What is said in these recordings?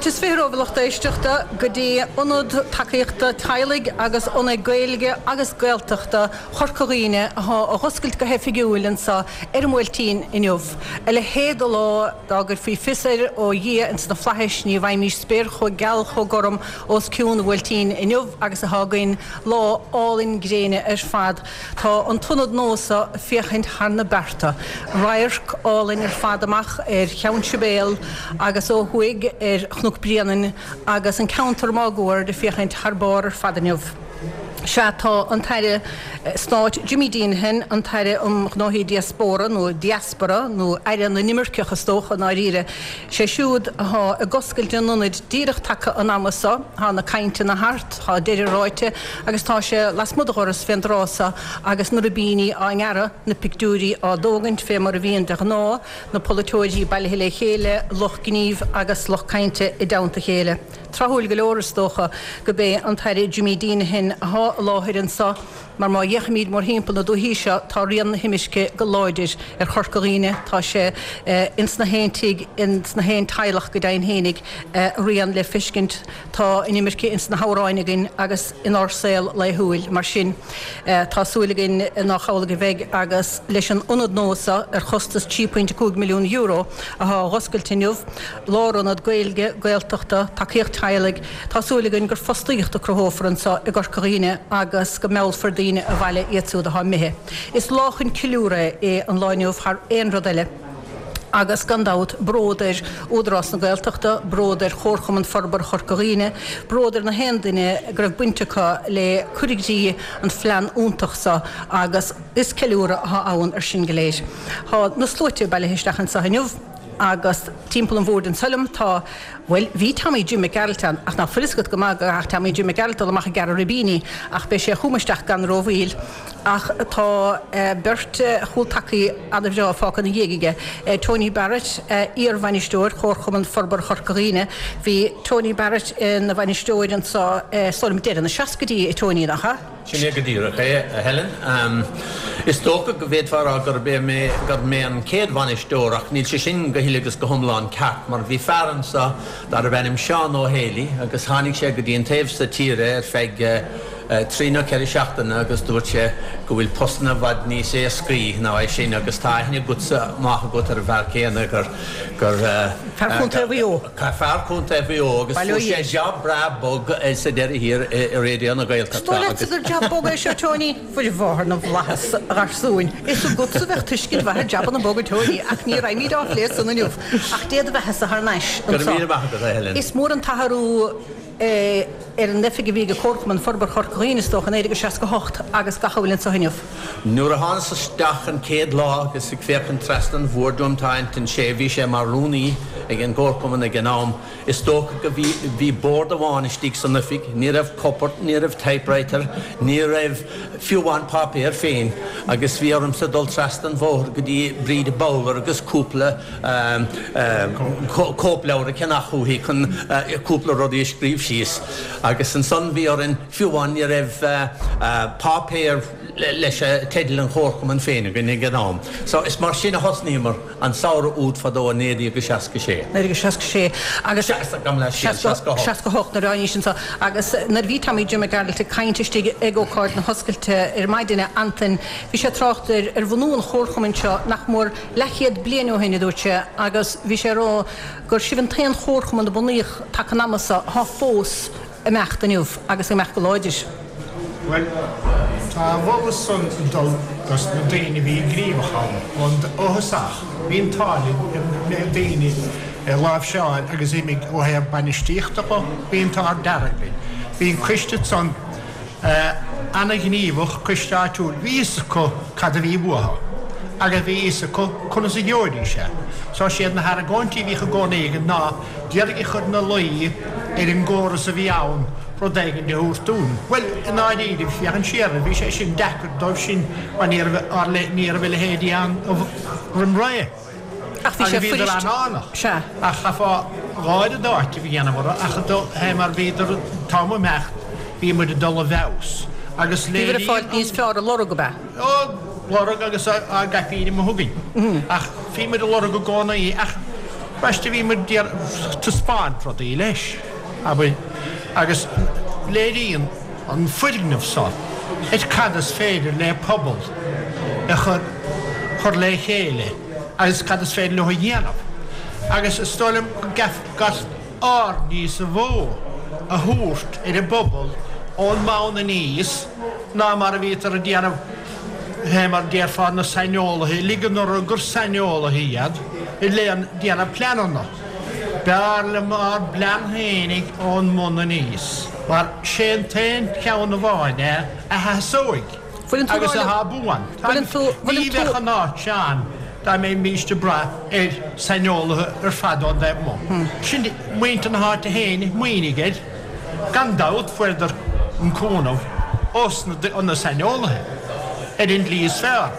Fáilte is 20 romhaibh a lucht éisteachta go dtí Ionad Tacaíochta Teaghlaigh agus Ionad Gaeilge agus Gaeltachta Chorca Dhuibhne athá á dh'oscailt go hoifigiúil anso ar an mBuailtín inniu. A leithéid de lá, dá gcuirfí fios air ó Dhia ins na Flaithis ní bhfaighimís spéir chomh geal chomh gorm os cionn an Bhuailtín inniu agus athá againn, lá álainn gréine ar fad. Tá an t-ionad nua so ag féachaint thar na bearta. Radharc álainn ar fad amach ar Cheann Sibéal agus ó thuaidh ar Chnoc Bréanainn agus an ceantar máguaird ag féachaint thar barr ar fad inniu. Sea, tá an tAire Stáit Jimmy Deenihan, an tAire um Ghnóthaí Diaspóra, nó Diaspora, nó Aire na nImirceach is dócha i ndáiríre, sé siúd athá ag oscailt an ionaid díreach taca an ama so. Tá na cainteanna thart, tá deireadh ráite agus tá sé lasmuigh de dhoras fén dtráth so agus na ribíní á ngearradh, na pictiúirí á dtógaint fé mar a bhíonn de ghnáth, na polaiteoirí bailithe le chéile, lucht gnímh agus lucht cainte i dteannta a chéile. Tráthúil go leor is dócha go b'é an tAire Jimmy Deenihan athá i láthair anso Mar má fhéachaimid mórthimpeall na dúichí seo tá rian na himirce go láidir ar Chorca Dhuibhne, tá sé ins na haon tigh, ins na haon teaghlach go deimhin fhéinig, a rian le feiscint. Tá an imirce ins na hamhráin againn agus inár saol laethúil. Mar sin tá súil againn nách amhlaidh a bheidh agus leis an ionad nua seo ar chostas €3.5 milliún athá á dh'oscailt inniu, lárionad Gaeilge, Gaeltachta, tacaíocht teaghlaigh, Tá súil againn gur fostaíocht a cruthófar anseo i gCorca Dhuibhne agus go meallfar daoine abhaile iad siúd atá imithe. Is lá chun ceiliúradh é an lá inniu thar aon rud eile agus gan dabht bród ar Údarás na Gaeltachta, bród ar Chomharchumann Forbartha Chorca Dhuibhne, bród ar na haon duine go raibh baint acu le cur i gcrích an phlean iontach seo agus is ceiliúradh atá ann ar sin go léir. Tá na sluaite bailithe isteach anseo inniu agus timpeall an bhoird anso liom tá. Bhuel, bhí Tommy Jim Mac Gearailt ann, ach nach bhfuil fhios agat go maith go gcaithfeadh Tommy Jim Mac Gearailt dul amach ag gearradh ribíní, ach beidh sé chugam isteach gan rómhoill. Ach tá beirt chúltacaí an-bhreá fágtha ina dhiaidh aige, Tony Barrett, iar-bhainisteoir Chomharchumann Forbartha Chorca Dhuibhne. Bhí Tony Barrett ina bhainisteoir anso, is dóigh liom, deireadh na seascaidí, a Tony, nach ea? Sin é go díreach é, a Helen. Is dócha go bhféadfá a rá gurb é mé, gurb mé an chéad bhainisteoir ach níl sé sin go huile agus go hiomlán ceart mar bhí fear anso darbh ainm Seán Ó Héalaí agus tháinig sé go dtí an taobh so tíre ar feadh trí nó ceithre seachtaine agus dúirt sé go bhfuil postanna i bhfad níos éascaí ná é sin agus tá aithne agatsa, maith agat ar an bhfear céanna gur, gur. Fear Chontae Mhaigh Eo. Fear Chontae Mhaigh Eo agus fuair sé jab breá bog sa deireadh thiar i Raidió na Gaeltachta Is dóigh leatsa gur jab bog é seo, Tony? Mhuire Mháthair na bhFlaitheas, a gharsúin. Is agatsa a bheadh tuiscint mhaith ar jabanna boga, Tony, ach ní raghaimid á phlé san inniu. Ach Dé do bheathasa thar n-ais Go raibh míle maith agat, a Helen. Is mór an t-athrú é ar an oifig a bhí ag Comharchumann Forbartha Chorca Dhuibhne, is dócha, i 1968 agus gach a bhfuil anseo inniu. Nuair a thánas isteach an chéad lá agus ag féachaint trasna an bhoird uaim tá Antain Sé, bhí sé mar rúnaí ag an gComharchumann ag an am, is dócha go bhí, bhí bord amháin istigh san oifig, ní raibh cupard, ní raibh typewriter, ní raibh fiú amháin páipéar féin agus bhí ormsa dul trasna an bhóthair go dtí Bríd Bowler agus cúpla cóipleabhar a cheannach uaithi chun cúpla rudaí a scríobh síos agus ansan bhí orainn, fiú amháin ní raibh páipéar leis teideal an Chomharchumainn féin againn ag an am. So is mar sin a thosnaíomar an samhradh úd fadó i 1966. 1966 agus. Gabh mo leithscéal, 68. 68 nuair a tháinís anso agus nuair a bhí Tommy Jim Mac Gearailt ag caint istigh ag ócáid na hoscailte ar maidin, a Antain, bhí sé ag trácht ar bhunú an Chomharchumainn seo nach mór leathchéad bliain ó shin, a dúirt sé, agus bhí sé ag rá gur sibh an t-aon chomharchumann a bunaíodh taca an ama so atá fós ag imeacht inniu agus ag imeacht go láidir. Bhuel, tá a mholadh san ag dul dos na daoine a bhí gníomhach ann ón ó thosach. Bhí an t-ádh linn na daoine a láimhseáil agus imigh ó thaobh bainistíochta dho, bhí an t-ádh dearg linn. Bhí an coiste san ana-ghníomhach, coiste áitiúil, bhí fhios acu cad a bhí uathu agus bhí fhios acu conas a gheobhaidís é. So siad na hargóintí a bhíodh i gcónaí againn ná d'iarraidh a chur ina luí ar an gcóras a bhí ann rud éigin a thabhairt dúinn. Bhuel, i ndáiríre, féachaint siar air, bhí sé sin deacair dóibh sin mar ní raibh ní raibh a leithéidí ann roim ré. Ach bhí sé Agus bhíodar fuirist. an-fhánach. Sea. Ach chaithfeá gáire d'áiteamh a dhéanamh orthu ach do, hé mar bhíodar, an t-am ag imeacht, bhí muid ag dul i bhfeabhas. Agus Bhíobhair ag léiríonn fáilt an. níos fearr a lorg, ab ea? Á lorg agus á gcaipín amuigh chugainn. Ach bhí muid ag lorg i gcónaí ach. Ambaiste bhí muid ag taispeáint rudaí leis, abair, agus léiríonn an foirgneamh seo ar cad is féidir le pobal a chur chur le chéile agus cad is féidir leo a dhéanamh. Agus is dóigh liom go gcaithfear aird níos mó a thabhairt ar an bpobal ón mbonn aníos ná mar a bhítear ag déanamh, fé mar déarfá na saineolaithe, ligean orthu gur saineolaithe iad ag déanamh pleananna. B'fhearr liom ár bplean fhéinig ón mbun aníos, mar sé an t-aon cheann amháin é a sheasóidh agus atá buan. Ní bheadh an áit seo ann dá mbeimíst ag brath ar saineolaithe ar fad ón dtaobh amuigh. Sin muintir na háite féin a smaoinigh air. Gan dabht fuaireadar an cúnamh ós na saineolaithe ar an tslí is fearr.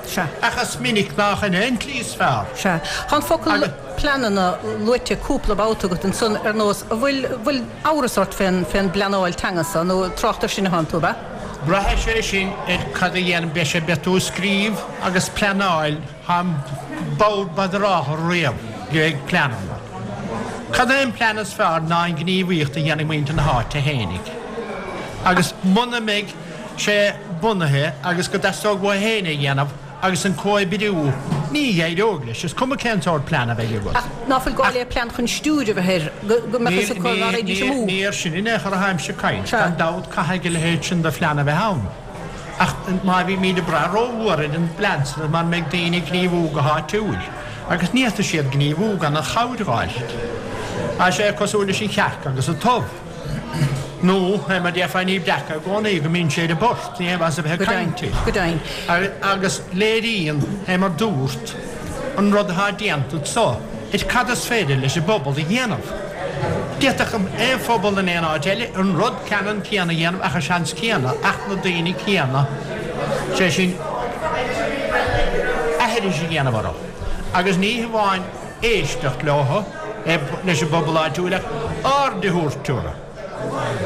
Ach is minic nach in é an tslí is fearr. Sea. Tá an focal pleananna luaite cúpla babhta agat ansan ar nós, an bhfuil, bhfuil amhras ort fén, fén bpleanáil teanga so, nó trácht ar sin atánn tú, ab ea? Braithfidh sé sin ar cad a dhéanann, beidh sé, beidh tú ag scríobh agus pleanáil, táim bodhar badarách riamh ag pleananna. Cad é an plean is fearr ná an ghníomhaíocht a dhéanfaidh muintir na háite fhéinig. Agus muna mbeidh sé bunaithe agus go dteastódh uathu féin é a dhéanamh, agus an comhoibriú, ní éireoidh leis, is cuma cén sórt plean a bheidh agat. Ach ná fuil gá le plean chun stiúir a bheith air, go mbeadh fhios acu ná raghaidís amú? Ní air sin in aon chor atáimse ag caint. Gan dabht caithfidh a leithéid sin de phlean a bheith ann. Ach má bhímid ag brath rómhór ar an bplean san mara mbeidh daoine ag gníomhú go háitiúil, agus ní fhéadfaidh siad gníomhú gan an chabhair a fháil. Tá sé cosúil leis an chearc agus an t-ubh. Nó, fé mar déarfá, ní breac i gcónaí go mbíonn sé ar an bport, ní haon mhaitheas a bheith ag caint air. Agus léiríonn, fé mar dúrt, an rud atá déanta anso ar cad is féidir leis an bpobal a dhéanamh. D'fhéadfadh aon phobal in aon áit eile an rud ceannann céanna a dhéanamh ach an seans céanna, ach na daoine céanna, sé sin, aithris a dhéanamh orthu. Agus ní hamháin éisteacht leo, leis an bpobal áitiúil ach aird a thabhairt orthu.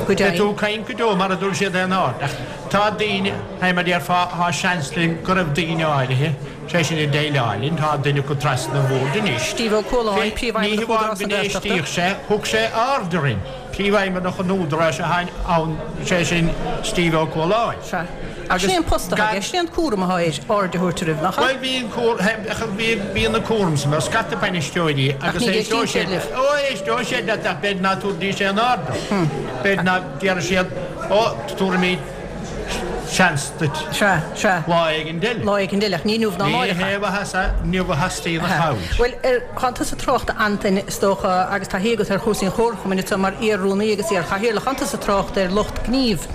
Beidh tú ag caint go deo mara dtabharfaidh siad aon aird ach tá daoine, fé mar déarfá, tá seans linn go raibh daoine áirithe, sé sin ag déileáil linn, tá duine acu trasna an bhoird anois. Steve Ó Cualáin, Príomhfheidhmeannach Údarás na Gaeltachta. Ní hamháin go n-éistíodh sé, thug sé aird orainn. Príomhfheidhmeannach an Údaráis atá ann, sé sin Steve Ó Cualáin. Sea. Ach sin é an post atá aige, sin é an cúram atá air, aird a thabhairt oraibh, nach ea? Bhuel, bhí an cúram, bhí, bíonn an cúram san ar scata bainisteoirí agus Ach ní éistíonn siad libh. Ó, éisteoidh siad leat ach b'fhéidir ná tabharfaidís aon aird ort. B'fhéidir ná déarfaidh siad, ó, tabharfaimid seans duit. Sea, sea. Lá éigin eile. Lá éigin eile, ach ní inniu ná Ní amáireach. hé mhaitheas é, inniu a theastaíonn an chabhair. Bhuel, ar, thánn tusa ag trácht, a Antain, is dócha, agus taithí agat ar chúrsaí an Chomharchumainn anseo mar iar-rúnaí agus iar-chathaoirleach, thánn tusa ag trácht ar lucht gnímh.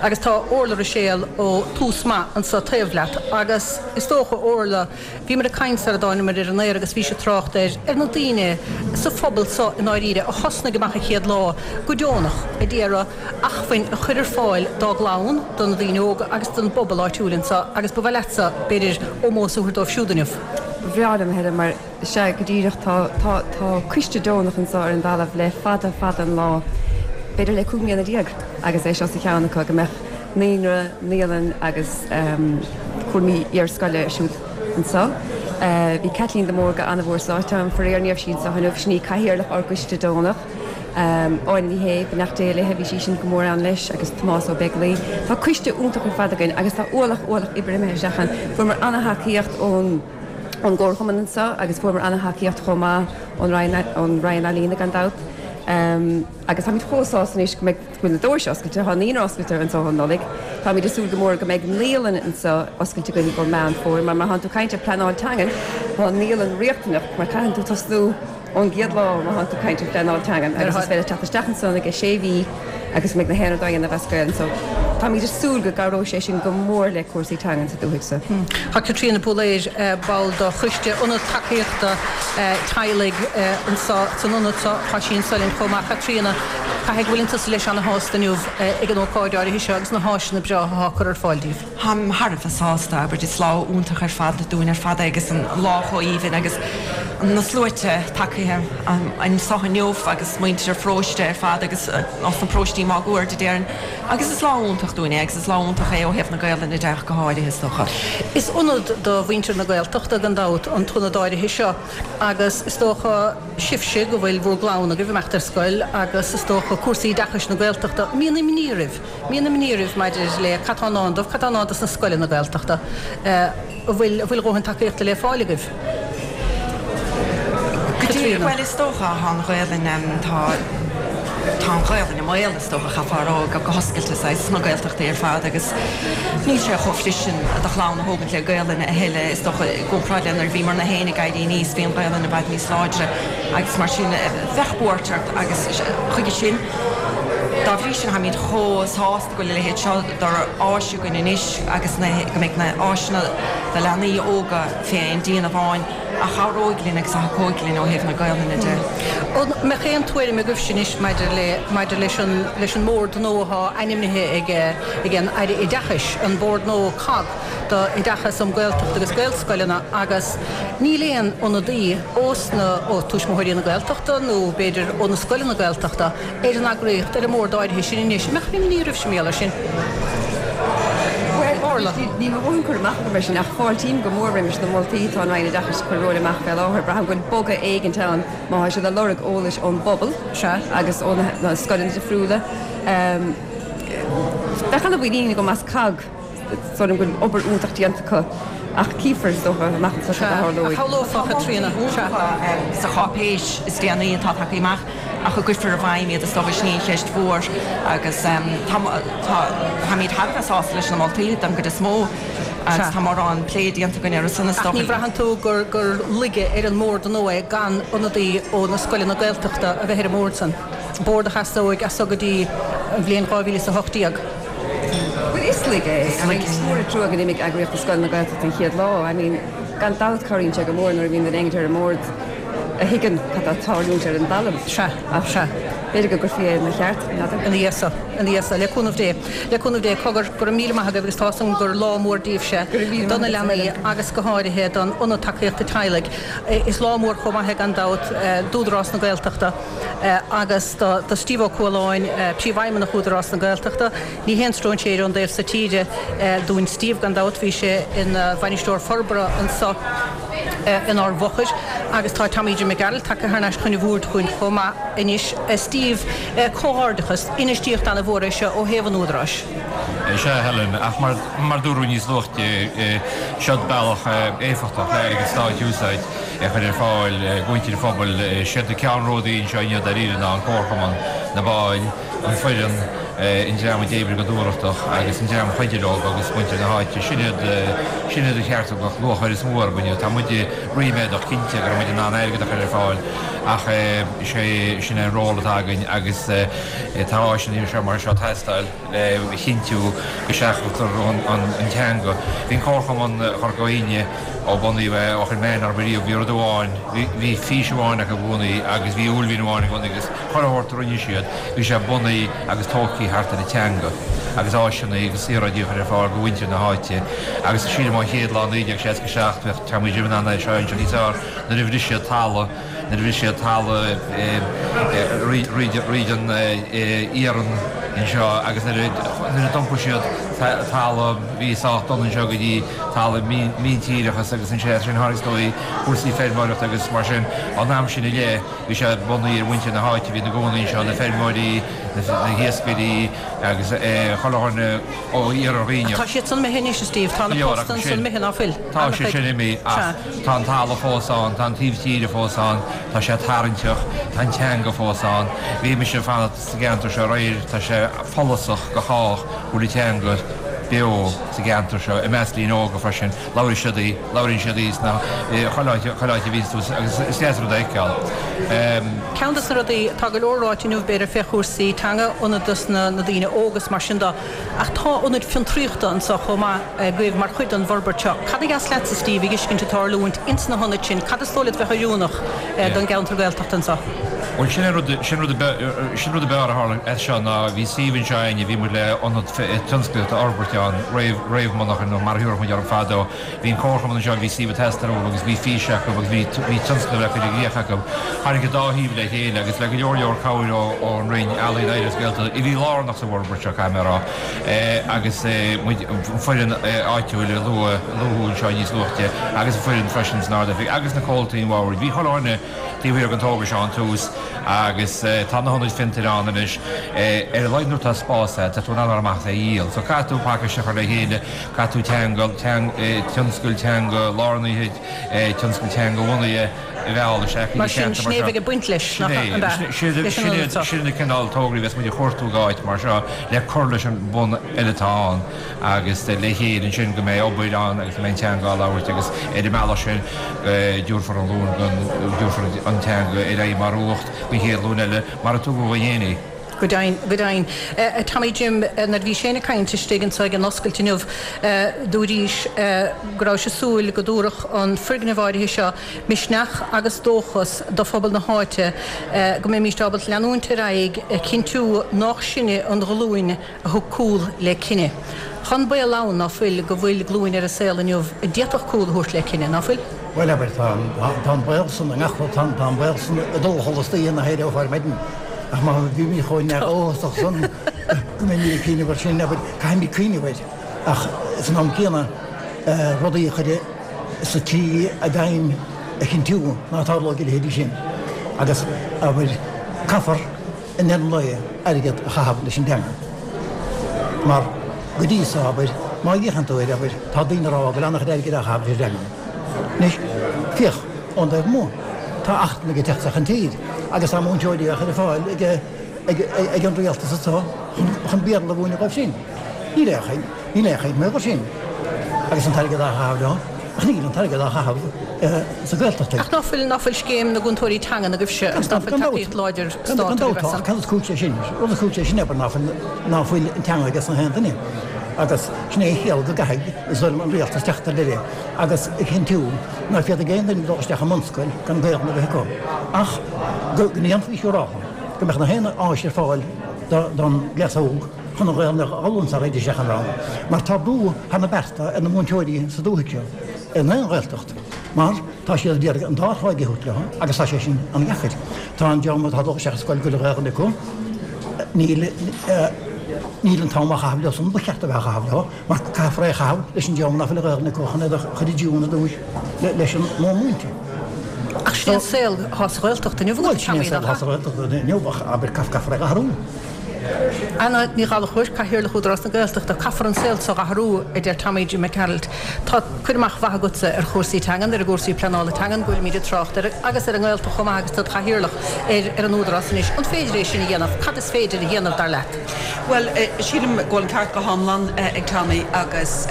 Agus tá Orla Ruiséal ó Tús Maith anseo taobh leat agus is dócha, Orla, bhíomar ag caint sara dtáingeamar ar an aer agus bhís ag trácht ar, ar na daoine sa phobal seo i ndáiríre a thosnaigh amach an chéad lá go deonach a d'iarraidh acmhainn a chur ar fáil dá gclann, do na daoine óga agus don bpobal áitiúil anseo agus ba mhaith leatsa, b'fhéidir, ómós a thabhairt dóibh siúd inniu. Ba bhreá liom, a Helen, mar Sea, go díreach. Tá, tá, tá coiste deonach anseo ar an dtalamh le fada, fada an lá, b'fhéidir le 15 mbliana, agus é seo sa cheann acu, go mbeadh naíonra, naíolann agus cúraimí iarscoile ar siúl anseo. Bhí Caitlín de Mórdha an-mhór sáite ann, faraor ní raibh sí anseo inniu, sin í cathaoirleach ár gcoiste deonach. Áine Ní Shé, beannacht Dé léi, bhí sí sin go mór ann leis, agus Tomás Ó Beaglaoi. Tá coiste iontach ar fad againn agus tá ualach, ualach oibre imithe isteach ann. Fuaireamar an-thacaíocht ón. ón gComharchumann anseo agus fuaireamar an-thacaíocht chomh maith ón Roinn, ón Roinn Ealaíona gan dabht. Agus táimid chomh sásta anois go mbeidh, go bhfuil na doirse oscailte, tá an naíonra oscailte anseo ón Nollaig. Táimid ag súil go mór go mbeidh naíolann anseo oscailte againn i gcomhair Meán Fómhair mar má thánn tú ag caint ar pleanáil teangan, tá an naíolann riachtanach mar caitheann tú tosnú ón gcéad lá má thánn tú ag caint ar phleanáil teangan agus is féidir teacht isteach ansan ag sé mhí agus go mbeidh na haon rud á dhéanamh as Gaelainn so táimid ag súil go gcabhróidh sé sin go mór le cúrsaí teangan sa dúthaigh so. Tá Caitríona Búiléir, ball de choiste Ionad Tacaíochta Teaghlaigh anseo san ionad seo, tá sí anseo linn chomh maith. Caitríona, caithfidh go bhfuileann tusa leis ana-shásta inniu ag an ócáid áirithe seo agus na háiseanna breátha atá curtha ar fáil daoibh. Táim thar a bheith sásta, abair, is lá iontach ar fad dúinn ar fad é agus an lá chomh aoibhinn agus. Na sluaite tagtha anso inniu agus muintir an pharóiste ar fad agus as na paróistí máguaird a déarfainn. Agus is lá iontach dúinn é agus is lá iontach é ó thaobh na Gaolainne de ach go háirithe is dócha. Is ionad do mhuintir na Gaeltachta gan dabht an t-ionad áirithe seo agus is dócha sibhse go bhfuil bhur gclann agaibh ag imeacht ar scoil agus is dócha cúrsaí oideachais na Gaeltachta, mbíonn imní oraibh, mbíonn imní oraibh maidir le cad tá i ndán dóibh, cad tá i ndán dos na scoileanna Gaeltachta. An bhfuil, an bhfuil a dhóthain tacaíochta le fáil agaibh? Caitríona. Bhuel, is dócha, tá an Ghaelainn, tá, tá an Ghaelainn i mbaol, is dócha, chaithfeá a rá go hoscailte, saghas, sna Gaeltachtaí ar fad agus níl sé chomh flis sin do chlann a thógaint le Gaelainn a thuilleadh, is dócha, i gcomparáid le nuair a bhíomarna féin ag éirí aníos, bhí an Ghaelainn i bhfad níos láidre agus mar sin, bheadh buairt ort agus chuige sin, dá bhrí sin, táimid chomh sásta go bhfuil a leithéid seo d'áis againn anois agus na, go mbeidh na áiseanna do leanaí óga fé aon díon amháin a chabhróidh linn agus a thacóidh linn ó thaobh na Gaolainne de. An mbeadh aon tuairim agaibhse anois maidir le, maidir leis an, leis an mbord nua atá ainmnithe ag, ag an Aire Oideachais, an bord nua cogg do Oideachas um Gaeltacht agus Gaelscoileanna agus níl aon ionadaí ós na, ó Tuismitheoirí na Gaeltachta nó b'fhéidir ó na scoileanna Gaeltachta ar an eagraíocht, ar an mbord áirithe sin anois. An mbeadh imní oraibhse mar gheall air sin? Bhuel, Orla. Níl a dhóthain cur amach agam air sin ach fáiltím go mór roimis na moltaí atá an Roinn Oideachais ag cur romhainn amach fé láthair. Braithim go bhfuil bogadh éigint ann má tá siad ag lorg eolais ón bpobal agus ó na scoileanna difriúla. Bheadh ana-mhuinín agam as cogg. Is dóigh liom go bhfuil obair iontach déanta acu ach cífear, is dócha, amach anseo cad a tharlóidh. A shamhlófá, a Chaitríona. Sa cháipéis is déanaí atá tagtha amach ach an gcuirfear i bhfeidhm iad, is dócha, sin í an cheist mhór agus táimid thar a bheith sásta leis na moltaí den gcuid is mó agus tá mórán plé déanta againn orthu san, is dócha. Ach ní bhraitheann tú gur laige ar an mbord nua é gan ionadaí ó na scoileanna Gaeltachta a bheith ar an mbord san, bord a sheasóidh as so go dtí an bhliain 2018? Bhuel, is laige é. I mean, is mór an trua gur imigh Eagraíocht na Scoileanna Gaeltachta an chéad lá. I mean, gan dabht cabhraíonn sé go mór nuair a bhíonn duine éigin ar an mbord a thuigeann cad tá ag tarlúint ar an dtalamh. Sea, Ach sea. b'fhéidir go gcuirfí é ina cheart, n'fheadar. Ina dhiaidh so, ina dhiaidh so, le cúnamh Dé, le cúnamh Dé, cogar, go raibh míle maith agaibh agus tá 'fhios agam gur lá mór daoibhse, Go raibh míle do na maith agat, leanaí Helen. agus go háirithe don Ionad Tacaíochta Teaghlaigh. Is lá mór chomh maith é gan dabht d'Údarás na Gaeltachta. agus do Steve Ó Cualáin, Príomhfheidhmeannach Údarás na Gaeltachta. Ní haon stróinséir ón dtaobh so tíre dúinn Steve, gan dabht, bhí sé ina Bhainisteoir Forbartha anso inár bhfochair agus tá Tommy Jim Mac Gearailt tagtha thar n-ais chun an bhoird chugainn chomh maith anois. Steve, comhghairdeachas, infheistíocht ana-mhór é seo ó thaobh an Údaráis. Sea, Helen, ach mar dúradh níos luaithe, seod bealach éifeachtach le airgead stáit a úsáid. a chur ar fáil do mhuintir an phobail. Siad na ceannródaí anseo inniu dáiríre ná an Comharchumann, na baill, an foireann, an dream a d'oibrigh go dúthrachtach agus an dream a chuidigh leo agus muintir na háite. Sin iad, sin iad ar cheart go mbeadh lúcháir is mó orthu inniu. Tá muid ríméadach cinnte go raibh muid in ann airgead a chur ar fáil ach is é sin é an ról atá againn agus tá áiseanna anseo mar seo ag teastáil le chinntiú go seachadtar an teanga. Bhí an Comharchumann Chorca Dhuibhne, Ó bunaíodh é, ó chuir mé aithne orthu riamh, bhí rud amháin, bhí fís amháin acu i gcónaí agus bhí uaillmhian amháin i gcónaí agus chuile shórt a rinne siad, bhí sé bunaithe agus tógtha thart ar an teanga agus áiseanna agus saoráidí a chur ar fáil do mhuintir na háite agus sílim ón chéad lá 1967, bheadh Tommy Jim in ann é seo a insint níos fearr, nuair a bhris siad talamh, nuair a bhris siad talamh fríd an iarann anseo agus nuair a d'iompaigh siad talamh a bhí sách dona anseo go dtí talamh míntíreach agus ansin tháinig is dóigh cúrsaí feirmeoireachta agus mar sin ón am sin i leith bhí sé bunaithe ar mhuintir na háite a bhí ina gcónaí anseo, na feirmeoirí, na hiascairí agus chuile dhuine ó Iarthar Dhuibhneach. Tá siad san imithe anois, a Steve, tá na postanna san imithe, ná fuil? Tá sé sin imithe ach tá an talamh fós ann, tá an taobh tíre fós ann, tá sé tarraingteach, tá an teanga fós ann. Bhí mise ag fanacht sa gceantar seo aréir, tá sé follasach do chách go bhfuil an teanga beo sa gceantar seo, i measc daoine óga freisin. Labhraíonn siad í, labhraíonn siad í sna, chuile áit, chuile áit a bhíonns tú agus is deas rud a fheiceáil. Ceann dos na rudaí, tá go leor ráite inniu b'fhéidir fé chúrsaí teanga, ionad dos na daoine óga is mar sin de, ach tá ionaid fiontraíochta anso chomh maith agaibh mar chuid den bhforbairt seo. Cad a dheas leatsa, Steve, a dh'fheiscint ag tarlúint ins na hionaid sin? Cad is dóigh leat bheadh oiriúnach don gceantar Gaeltachta anso? Bhuel, sin é rud, sin rud, sin rud ab fhearr a tharla as seo ná bhí suíomh anseo againne, bhí muid le ionad tionsclaíochta a fhorbairt ann, réamh, réamh-mhonarcha nó mar a thabharfadh muid orthu fadó. Bhí an comharchumann anseo, bhí suíomh ag teastáil uathu agus bhí fís acu agus bhí, bhí tionscnamh le cur i gcrích acu. Tháinig an dá thaobh le chéile agus le go leor leor cabhair ó, ón Roinn Ealaíon, Oidhreachta agus Gaeltachta, a bhí lárnach sa bhforbairt seo, caithfidh mé a rá, agus muid, an foireann áitiúil a luadh, luadh anseo níos luaithe agus an foireann freisin san Ard-Oifig agus na comhaltaí an bhoird. Bhí chuile dhuine taobh thiar den togra seo ón tús agus tá na hionaid fiontair ann anois. Ar a laghad nuair atá spás agat, tá tú in ann dul amach is é a dhíol. So caithfidh tú pacáiste a chur le chéile, caithfidh tú teanga, tionscal teanga lárnaithe, tionscal teanga bhunaithe a mhealladh isteach go dtí ceantar mar seo. Mar sin, sin é a bheidh ag baint leis, nach ea? Sin é, sin na cineál tograí a bheas muid ag cuartú ag áit mar seo le cur leis an bhun eile atá ann agus le chéile ansin go mbeidh obair ann agus go mbeidh an teanga á labhairt agus ar an mbealach sin go dtabharfar an ghlúin go dtabharfar an teanga ar aghaidh mar uacht don chéad ghlúin eile mar a tugadh dhúinn féin í. Go deimhin, go deimhin. A Tommy Jim, nuair a bhís féin ag caint istigh anso ag an oscailt inniu, dúraís go rabhais ag súil go dtabharfadh an foirgneamh áirithe seo misneach agus dóchas do phobal na háite, go mbeimíst ábalta leanúint ar aghaidh ag cinntiú nách sinne an ghlúin a thug cúl le cine. Tá an baol ann, ná fuil, go bhfuil glúin ar an saol inniu a d'fhéadfadh cúl a thabhairt le cine, ná fuil? Bhuel, abair, tá, tá an baol san i ngach rud, tá, tá an baol san ag dul a chodladh istoíche nach éireofá ar maidin. Ach má bhímid chomh neamhdhóchasach san go mbeimid ag cuimhneamh air sin, abair, caithfimid cuimhneamh air. Ach san am céanna, rudaí a chur sa tslí i bhfeidhm a chinntiú ná tarlóidh a leithéidí sin. Agus, abair, caithfear i ndeireadh an lae airgead a chaitheamh leis an dteanga. Mar go dtí so, abair, má fhéachann tú air, abair, tá daoine ag rá go bhfuil an-chuid airgid á chaitheamh leis an dteanga. Anois, féach, ón dtaobh amuigh, tá eachtrannaigh ag teacht isteach an tír agus tá múinteoirí á chur ar fáil ag, ag, ag an rialtas anso chun, chun Béarla a mhúineadh dóibh sin. Níl aon chaint, níl aon chaint mar gheall air sin. Agus an t-airgead á chaitheamh leo, ach níl an t-airgead á chaitheamh sa Ghaeltacht. Ach ná fuil, ná fuil scéim na gcúntóirí teangan agaibhse agus ná fuil tacaíocht láidir stáit agaibh as san? Cad is cúis leis sin? Rud is cúis leis sin, abair, ná fuil, ná fuil an teanga aige san aon duine. Agus sin é an chiall go gcaithfidh, is dóigh liom, an rialtas teacht ar deireadh agus a chinntiú ná féadfaidh aon duine dul isteach i mbunscoil gan Gaelainn a bheith acu. Ach go ndéanfaí siúráil go mbeadh na haon áis ar fáil don gcleas óg chun an Ghaelainn a fhoghlaim sara dtéid isteach an rang. Mar tá brú thar na bearta ar na múinteoirí sa dúthaigh seo, in aon Ghaeltacht, mar tá siad ag iarraidh an dá thráigh a thabhairt leo agus tá sé sin an-dheacair. Tá an dream atá ag dul isteach i scoil go bhfuil Gaelainn acu, níl níl an t-am á chaitheamh leo san ba cheart a bheith á chaitheamh leo, mar caithfear é a chaitheamh leis an dream nach bhfuil Gaelainn acu chun iad a chur i dtiúin ar dtúis leis an modh múinte. Ach sin é an saol atá sa Ghaeltacht inniu, Bhuel, sin é an saol atá sa Ghaeltacht inniu ach abair caithfear é a athrú. Anna Ní Ghallchóir, Cathaoirleach Údarás na Gaeltachta, Caithfear an saol seo a athrú, a deir Tommy Jim Mac Gearailt. Tá cur amach mhaith agatsa ar chúrsaí teangan, ar an gcúrsaí pleanála teangan go bhfuilimid ag trácht air, agus ar an nGaeltacht chomh maith agus tú id chathaoirleach ar an Údarás anois. An féidir é sin a dhéanamh? Cad is féidir a dhéanamh, dar leat? Bhuel, sílim go bhfuil an ceart go hiomlán ag Tommy agus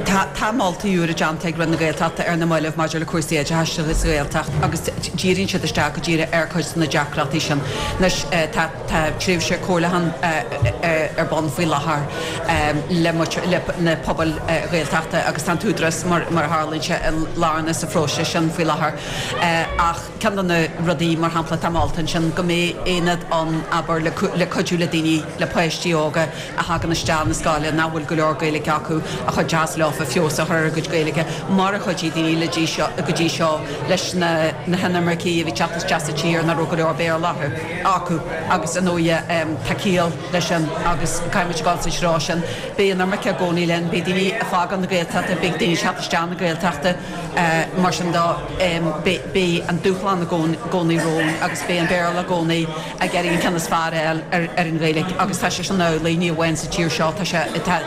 tá tá moltaí úra déanta ag Roinn na Gaeltachta ar na mallaibh maidir le cúrsaí oideachais sa Ghaeltacht agus díríonn siad isteach go díreach ar chuid de na deacrachtaí sin. Anois tá tá tréimhse comhairliúcháin ar bun faoi láthair le le na pobail Ghaeltachta agus tá an tÚdarás mar mar a tharlaíonn sé lárnach sa phróiseas sin faoi láthair ach ceann de na rudaí mar shampla atá molta ansin go mbeidh aonad ann abair le le cuidiú le daoine le páistí óga a thagann isteach na scoile nach bhfuil go leor Gaeilge acu a chuideos leofa feabhas a chur ar a gcuid Gaeilge mar a chuidigh daoine le dtí seo go dtí seo leis na na hinimircigh a bhí teacht isteach sa tír nach raibh go leor Béarla acu agus ar ndóighe tá ciall leis sin agus caithfimid dul sa treo sin. Beidh an imirce i gcónaí linn, beidh daoine ag fágáil na Gaeltachta, beidh daoine ag teacht isteach na Gaeltachta mar sin de beidh an dúshlán i gcónaí romhainn agus beidh an Béarla i gcónaí ag iarraidh an ceann is fearr a fháil ar an Ghaeilge agus tá sé sin amhlaidh ní amháin sa tír seo, tá sé, tá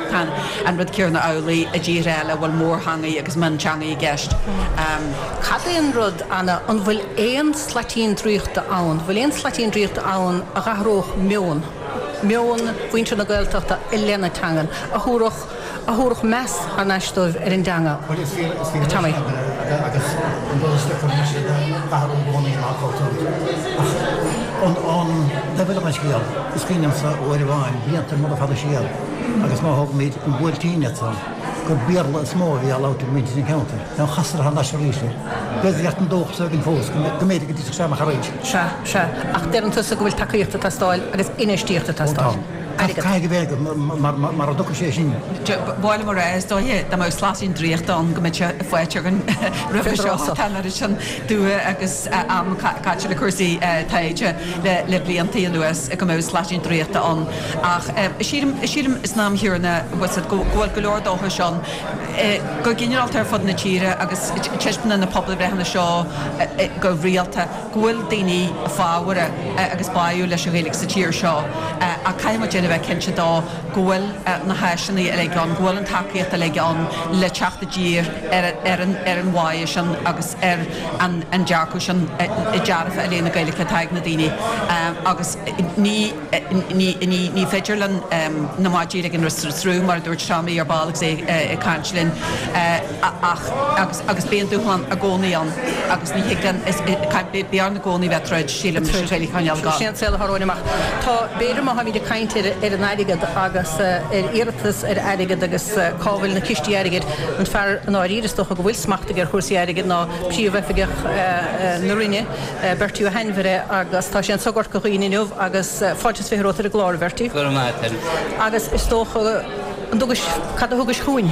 an rud céanna amhlaidh i dtíortha eile a bhfuil mórtheangaí agus mionteangaí i gceist. Cad é an rud, Anna, an bhfuil aon slaitín draíochta ann, bhfuil aon slaitín draíochta ann a dh'athródh meon, meon mhuintir na Gaeltachta i leith na teangan, a thabharfadh, a thabharfadh meas thar n-ais dóibh ar an dteanga? Bhuel, is fíor, is fíor Tommy. agus an rud is deacra anois a athrú i gcónaí ná cultúr. Ach an, an taobh eile den scéal, is cuimhin liomsa uair amháin, blianta móra fada siar, agus má thógaimid an Buailtín ansan. gur Béarla is mó a bhí á labhairt ag muintir an cheantair. Now chastar thar n-ais arís air. B'fhéidir go an dóchas againn fós go mb'fhéidir go dtitfeadh sé amach arís. Sea, sea. Ach deireann tusa go bhfuil tacaíocht ag teastáil agus infheistíocht ag Ó tá. teastáil. Airgead. Caithfidh go bheith agat mar mara dtiocfaidh sé sin. Ba mhaith liom a rá, is dóiche, dá mbeadh slaitín draíochta ann go mbeadh sé faighte againn roimhe seo. Tá an oiread sin dua agus am caite le cúrsaí taighde le blianta anuas go mbeadh slaitín draíochta ann. Ach sílim, sílim san am chéanna, go bhfuil go leor dóchais ann go ginearálta ar fud na tíre agus taispeánann na pobalbhreitheanna seo go rialta go bhfuil daoine fábharach agus báúil leis an Ghaeilge sa tír seo ach caithfidh muid féin a bheith cinnte dó go bhfuil na háiseanna uilig ann, go bhfuil an tacaíocht uilig ann le teacht i dtír ar ar an bháidhe sin agus ar an dearcadh sin dearfa i leith na Gaeilge atá ag na daoine agus ní Ní féidir linn na maidí a ligean roimh an sruth, mar a dúirt Tommy ar ball agus é ag caint linn, ach agus beidh an dúshlán i gcónaí ann agus ní thig linn, beidh orainn i gcónaí bheith ag troid, sílim, leis an Ghaeilge a choinneáil ag gabháil. Sin an saol atá romhainn amach. Tá, b'fhéidir má tháimid ag caint ar an airgead agus ar iarratas ar airgead agus cá bhfuil na cistí airgid, an fear i ndáiríre is dócha go bhfuil smacht aige ar chúrsaí airgid ná Príomhoifigeach na Roinne, Bertie Ó hAinmhire agus tá sé anso i gCorca Dhuibhne inniu agus fáilte is 20 romhat ar an gclár, a Bhertie. Go raibh maith agat, Helen. Agus is dócha, an dtugais, cad a thugais chugainn?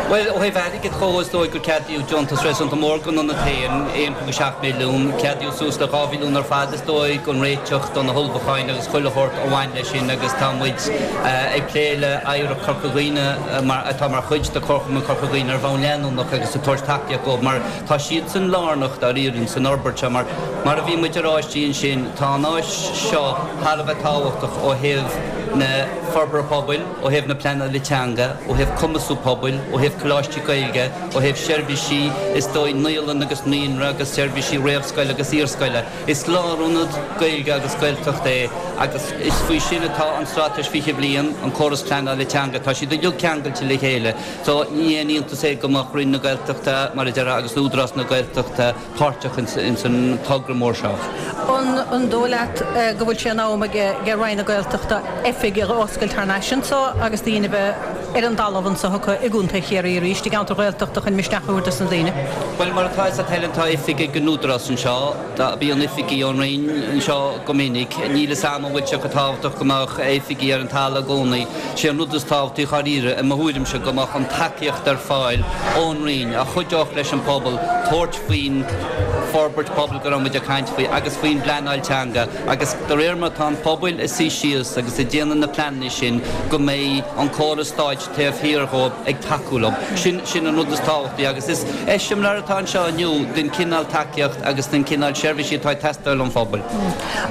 Bhuel, ó thaobh airgid dhó, is dóigh gur ceadaíodh deontas réasúnta mór don ionad féin, 1.7 milliún, ceadaíodh suas le 2 mhilliún ar fad is dóigh don réiteach, do na hullmhúcháin agus chuile shórt a bhain leis sin agus tá muid ag plé le Oidhreacht Chorca Dhuibhne mar, atá mar chuid de Chomharchumann Chorca Dhuibhne ar bhonn leanúnach agus ag tabhairt tacaíocht dhóibh mar Tá siadsan lárnach dáiríre san fhorbairt seo mar, mar a bhí muid a rá istigh ansin, tá an áis seo thar a bheith tábhachtach ó thaobh na forbartha pobail, ó thaobh na pleanála teanga, ó thaobh cumasú pobail, ó thaobh coláistí Gaeilge, ó thaobh seirbhísí, is dóigh, naíolann agus naíonra agus seirbhísí réamhscoile agus iarscoile. Is lárionad Gaeilge agus Gaeltachta é agus is faoi sin atá an Straitéis 20 Bliain, an córas pleanála teanga, tá siad uilig ceangailte le chéile. So, ní haon iontas é go mbeadh Roinn na Gaeltachta, mar a déarfá, agus Údarás na Gaeltachta páirteach ins an togra mór seo. An dóigh leat go bhfuil sé in am ag Roinn na Gaeltachta oifig a oscailt thar n-ais anso agus daoine a bheith ar an dtalamh anso acu i gContae Chiarraí arís, i gceantar Ghaeltachta chun misneach a thabhairt dos na daoine? Bhuel, mar atá fhios a't Helen, tá oifig ag an Údarás anseo. Bíonn oifigigh ón Roinn anseo go minic. Níl fhios a'm an bhfuil sé chomh tábhachtach go mbeadh oifigigh ar an talamh i gcónaí. Sé an rud is tábhachtaí dháiríre, i mo thuairimse, go mbeadh an tacaíocht ar fáil ón Roinn a chuideodh leis an pobal tabhairt faoin forbairt pobail go raibh muid ag caint faoi agus faoin bpleanáil teanga agus de réir mar atá an pobal ag suí síos agus ag déanamh na pleananna sin go mbeidh an córas stáit taobh thiar dhóibh ag tacú leo. Sin, sin an rud is tábhachtaí agus is eiseamláir atá anseo inniu den chineál tacaíocht agus den chineál seirbhísí atá ag teastáil ón phobal.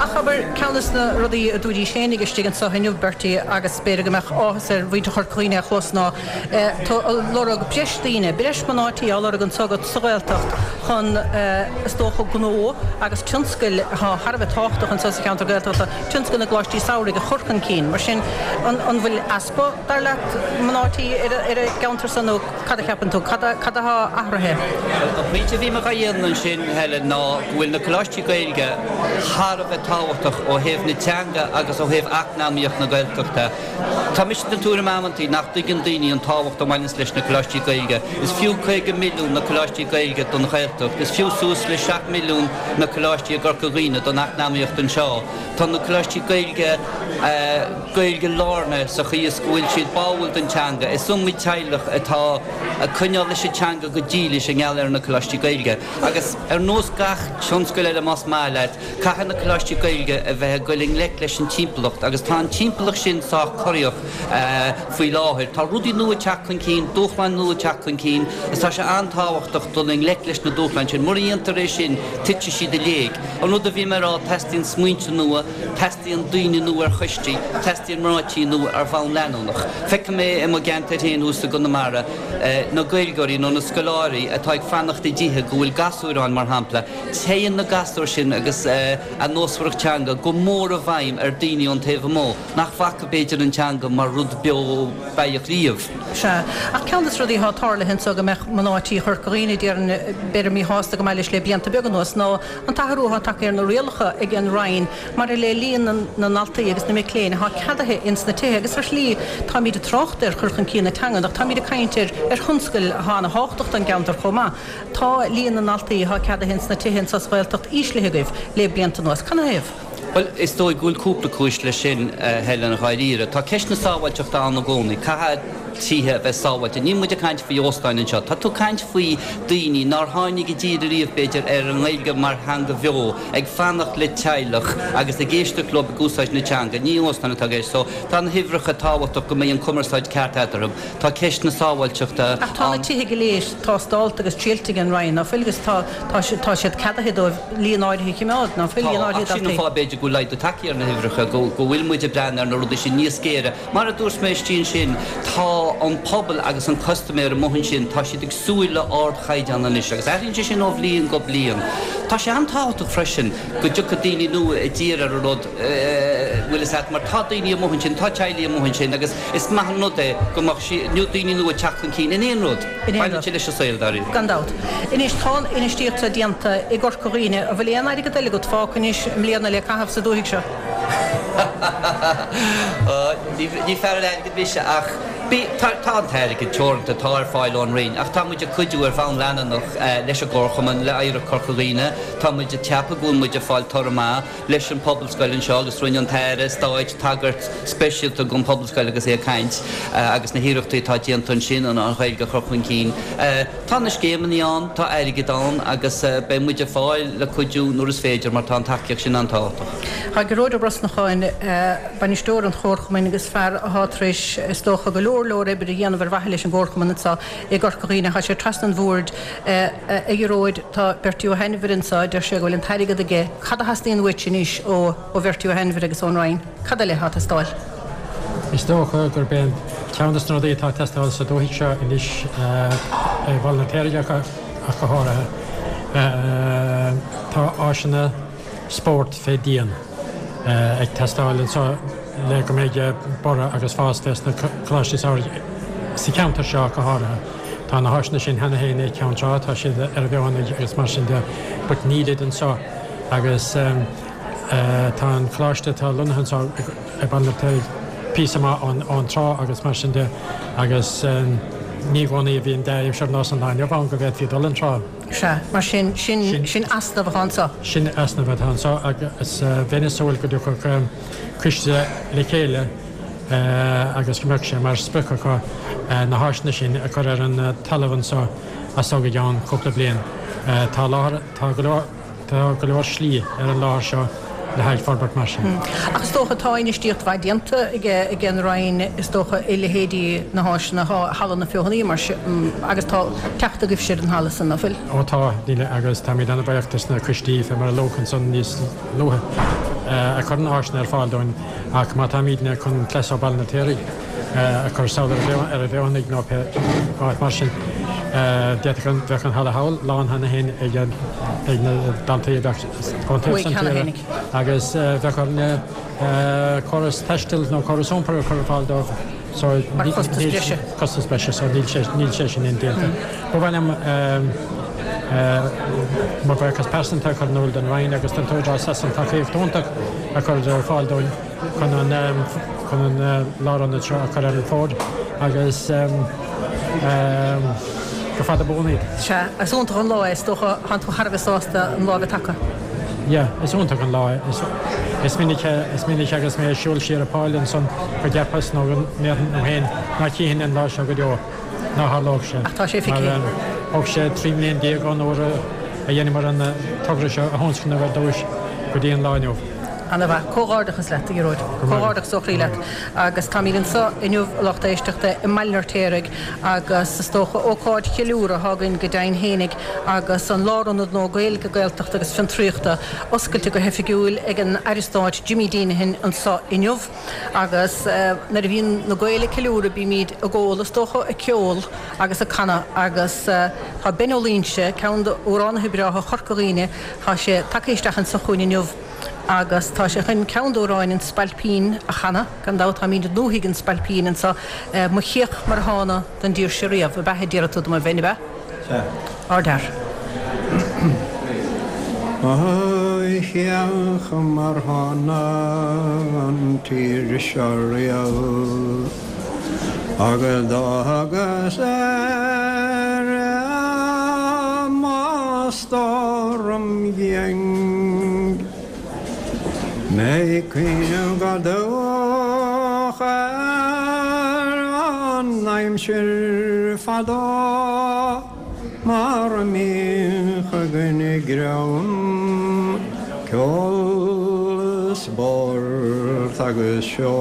Ach abair, ceann des na rudaí a dúraís féinig istigh anso inniu, Bertie, agus b'fhéidir go mbeadh áthas ar mhuintir Chorca Dhuibhne é a chlos, ná tú ag lorg breis daoine, breis mná tí á lorg anso agat sa Ghaeltacht chun, is dócha, gnó agus tionscail atá thar a bheith tábhachtach anso sa cheantar Gaeltachta, tionscal na gcoláistí samhraidh a chur chun cinn. Mar sin, an bhfuil easpa, dar leat, mná tí ar an gceantar san nó cad a cheapann tú? Cad atá athraithe? An pointe a bhí mé dhá dhéanamh ansin, Helen, ná go bhfuil na coláistí Gaeilge thar a bheith tábhachtach ó thaobh na teanga agus ó thaobh eacnamaíocht na Gaeltachta. Tá mise den tuairim amantaí nach dtuigeann daoine an tábhacht a bhaineanns leis na coláistí Gaeilge. Is fiú 50 milliún na coláistí Gaeilge don Ghaeltacht. Is fiú suas le 7 milliún na coláistí i gCorca Dhuibhne don eacnamaíocht anseo. Tá na coláistí Gaeilge Gaeilge lárnaithe sa chaoi is go bhfuil siad báúil don teanga. Is iomaí teaghlach atá ag coinneáil leis an teanga go dílis i ngeall ar na coláistí Gaeilge. Agus ar nós gach tionscail eile más maith leat, caithfidh na coláistí Gaeilge a bheith ag goil i ngleic leis an timpeallacht agus tá an timpeallacht sin sách corraíoch faoi láthair. Tá rudaí nua ag teacht chun cinn, dúshláin nua ag teacht chun cinn agus tá sé an-tábhachtach dul i ngleic leis na dúshláin sin. Mura ndéantar é sin, titfidh siad i léig. An rud a bhí mé a rá, teastaíonn smaointe nua, teastaíonn daoine nua ar choistí, teastaíonn mná tí nua ar bhonn leanúnach. Feicim é i mo gceantar féin thuas i gConamara. Na Gaeilgeoirí nó na scoláirí atá ag fanacht i dtithe go bhfuil gasúir ann, mar shampla, téann na gasúir sin agus a nósmhaireacht teanga go mór i bhfeidhm ar daoine ón taobh amuigh nach bhfaca b'fhéidir an teanga mar rud beo beathach riamh. Sea. Ach ceann de na rudaí atá tarlaithe anso go mbeadh mná tí Chorca Dhuibhne, déarfainn, b'fhéidir míshásta go maith leis le blianta beaga anuas ná an t-athrú atá tagtha ar na rialacha ag an Roinn maidir le líon na ndaltaí agus na mic léinn atá ceadaithe ins na tithe agus ar shlí táimíd ag trácht ar chur chun cinn na teangan ach táimíd ag caint ar ar thionscail atá ana thábhachtach don gceantar chomh maith. Tá líon na ndaltaí atá ceadaithe ins na tithe anso sa Ghaeltacht íslithe agaibh le blianta anuas. Canathaobh? Bhuel, is dóigh go bhfuil cúpla cúis leis sin, a Helen, dháiríre. Tá ceist na sábháilteachta ann i gcónaí. Caithfidh tithe a bheith sábháilte. Níl muid ag caint faoi óstáin anseo. Tá tú ag caint faoi daoine nár tháinig i dtír ariamh, b'fhéidir, ar an nGaeilge mar theanga bheo, ag fanacht le teaghlach agus ag éisteacht leo ag úsáid na teanga. Ní óstáin atá i gceist. So, tá na huimhreacha tábhachtach go mbeidh an cumarsáid ceart eatarthu. Tá ceist na sábháilteachta Ach tá na ann. tithe go léir tástálta agus triailte ag an Roinn, ná fuil? Agus tá, tá, tá siad ceadaithe dóibh líon áirithe a chimeád, ná fuil? Tá, Líon áirithe ach sin an daltaí. fáth b'fhéidir go bhfuil laghdú tagtha ar na huimhreacha, go, go bhfuil muid ag breathnú ar na rudaí sin níos géire. Mar a dúirt mé istigh ansin, tá an pobal agus an custaiméir amuigh ansin, tá siad ag súil le ardchaighdeán anois agus athraíonn sé sin ó bhliain go bliain. Tá sé an-tábhachtach freisin go dtiocfaidh daoine nua i dtír ar an rud, bhfuil fhios a't, mar tá daoine amuigh ansin, tá teaghlaigh amuigh ansin agus is maith an rud é go mbeadh daoine nua ag teacht chun cinn in aon rud. In aon Baineann rud. sé leis an saol, dáiríre. Gan dabht. Anois, tá an infheistíocht seo déanta i gCorca Dhuibhne. An bhfuil aon airgead eile agat fágtha anois i mbliana le caitheamh sa dúthaigh seo? Ní fear an airgid mise ach bí, tá, tá an t-airgead teoranta atá ar fáil ón Roinn ach tá muid ag cuidiú ar bhonn leanúnach leis an gComharchumann, le Oidhreacht Chorca Dhuibhne. Tá muid ag ceapadh go bhfuil muid ag fáil toradh maith. leis an Phobalscoil anseo agus rinne an tAire Stáit tagairt speisialta don Phobalscoil agus é ag caint agus na hiarrachtaí atá déanta ansin an Ghaeilge a chur chun cinn. Tá na scéimeanna ann, tá airgead ann agus beidh muid ar fáil le cuidiú nuair is féidir mar tá an tacaíocht sin an-tábhachtach. Tá Gearóid Ó Brosnacháin, bainisteoir an Chomharchumainn agus fear atá tar éis, is dócha, go leor leor oibre a dhéanamh ar mhaithe leis an gComharchumann anseo i gCorca Dhuibhne. Tá sé trasna an bhoird. A Ghearóid, tá Bertie Ó hAinmhir anseo, deir sé go bhfuil an t-airgead aige. Cad a theastaíonn uait anois ó Bhertie Ó hAinmhir agus ón Roinn? Cad eile atá ag teastáil? Is dócha gurb é an ceann de na rudaí atá ag teastáil sa dúthaigh seo anois, i mBaile an Fheirtéaraigh ach go háirithe, tá áiseanna spóirt fé dhíon ag teastáil anseo le go mbeidh borradh agus fás fés na coláistí samhraidh sa cheantar seo ach go háirithe. Tá na háiseanna sin cheana féin ag Ceann Trá, tá siad ar an bhFeothanaigh agus mar sin de but nílid anseo agus tá an coláiste atá lonnaithe anseo i Baile an Fheirtéaraigh píosa maith ón trá agus mar sin de agus ní i gcónaí a bhíonn dea-aimsir ar nós an lae inniu ann go bhféadfaí dul an trá. Sea, mar sin, sin, sin easnamh atá anseo. Sin easnamh atá anseo agus bheinn ag súil go dtiocfadh coiste le chéile agus go mbeadh sé mar sprioc acu na háiseanna sin a chur ar an talamh anseo as so go gceann cúpla bliain. Tá láthair, tá go leor, tá go leor slí ar an láthair seo le haghaidh forbairt mar sin. Ach is dócha, tá infheistíocht mhaith déanta ag an Roinn, is dócha, i leithéidí na háiseanna, Halla na Feothanaí mar sin, agus tá teacht agaibhse ar an halla san, ná fuil? Ó tá, níl, agus táimid an-bhuíoch dos na coistí, fé mar a luadh ansan níos luaithe, a chuireann áiseanna ar fáil dúinn, ach má táimídne chun cleas ó Bhaile an Fheirtéaraigh a chur sall ar an bhFeothanaigh nó pé áit mar sin, d'fhéadfadh an, bheadh an halla thall lán cheana féin ag ag na daltaí a bheadh ón taobh san tíre agus bheadh orainne córas taistil nó córas iompair a chur ar fáil dóibh so Mar chostas breise. Costas breise so níl sé, níl sé sin indéanta. Ba mhaith liom mo bhuíochas pearsanta a chur in iúl don Roinn agus don tÚdarás as an tacaíocht iontach a chuireadar ar fáil dúinn chun an chun an lárionad seo a chur ar an bhfód agus go fada buan iad. Sea, is iontach an lá é, is dócha, thánn tú thar a bheith sásta an lá a bheith tagtha. Yeah, is iontach an lá é. Is minic, is minic agus mé ag siúl siar an Pháil ansan go gceapfas nó go ndéarfainn liom féin ná chífinn an lá seo go deo. Ná tharlódh sé. Ach tá sé feicthe. Mar thóg sé 13 mbliain ón uair a dheineamar an togra seo a thionscnamh ar dtúis go dtí an lá inniu. Ana mhaith. Comhghairdeachas leat, a Ghearóid. Comhghairdeachas ó chroí leat. Agus táimid anseo inniu, a lucht éisteachta, i mBaile an Fheirtéaraigh agus is dócha ócáid cheiliúradh atá againn go deimhin fhéinig agus an Lárionad Nua Gaeilge, Gaeltachta agus Fiontraíochta oscailte go hoifigiúil ag an Aire Stáit Jimmy Deenihan anseo inniu. Agus nuair a bhíonn na Gaeil ag ceiliúradh bímid ag ól, is dócha, ag ceol agus ag canadh agus tá Ben Ó Loingsigh, ceann d'amhránaithe breátha Chorca Dhuibhne, tá sé tagtha isteach anseo chugainn inniu agus tá sé chun ceann d'amhráin an Spailpín a chanadh. Gan dabht táimid i ndúthaigh an Spailpín anseo. Mo chéach mar a thána don dtír seo riamh, ab ea a déarfaidh tú dom a Bhein, ab ea? Sea. Ardfhear. Mo chéach mar thána an tír seo riamh agus d'fhágas Éire mo stór im dhiaidh. Mé ag cuimhneamh go dubhach ar an aimsir fadó mar a mbíodh againn greann, ceol, spórt agus seó.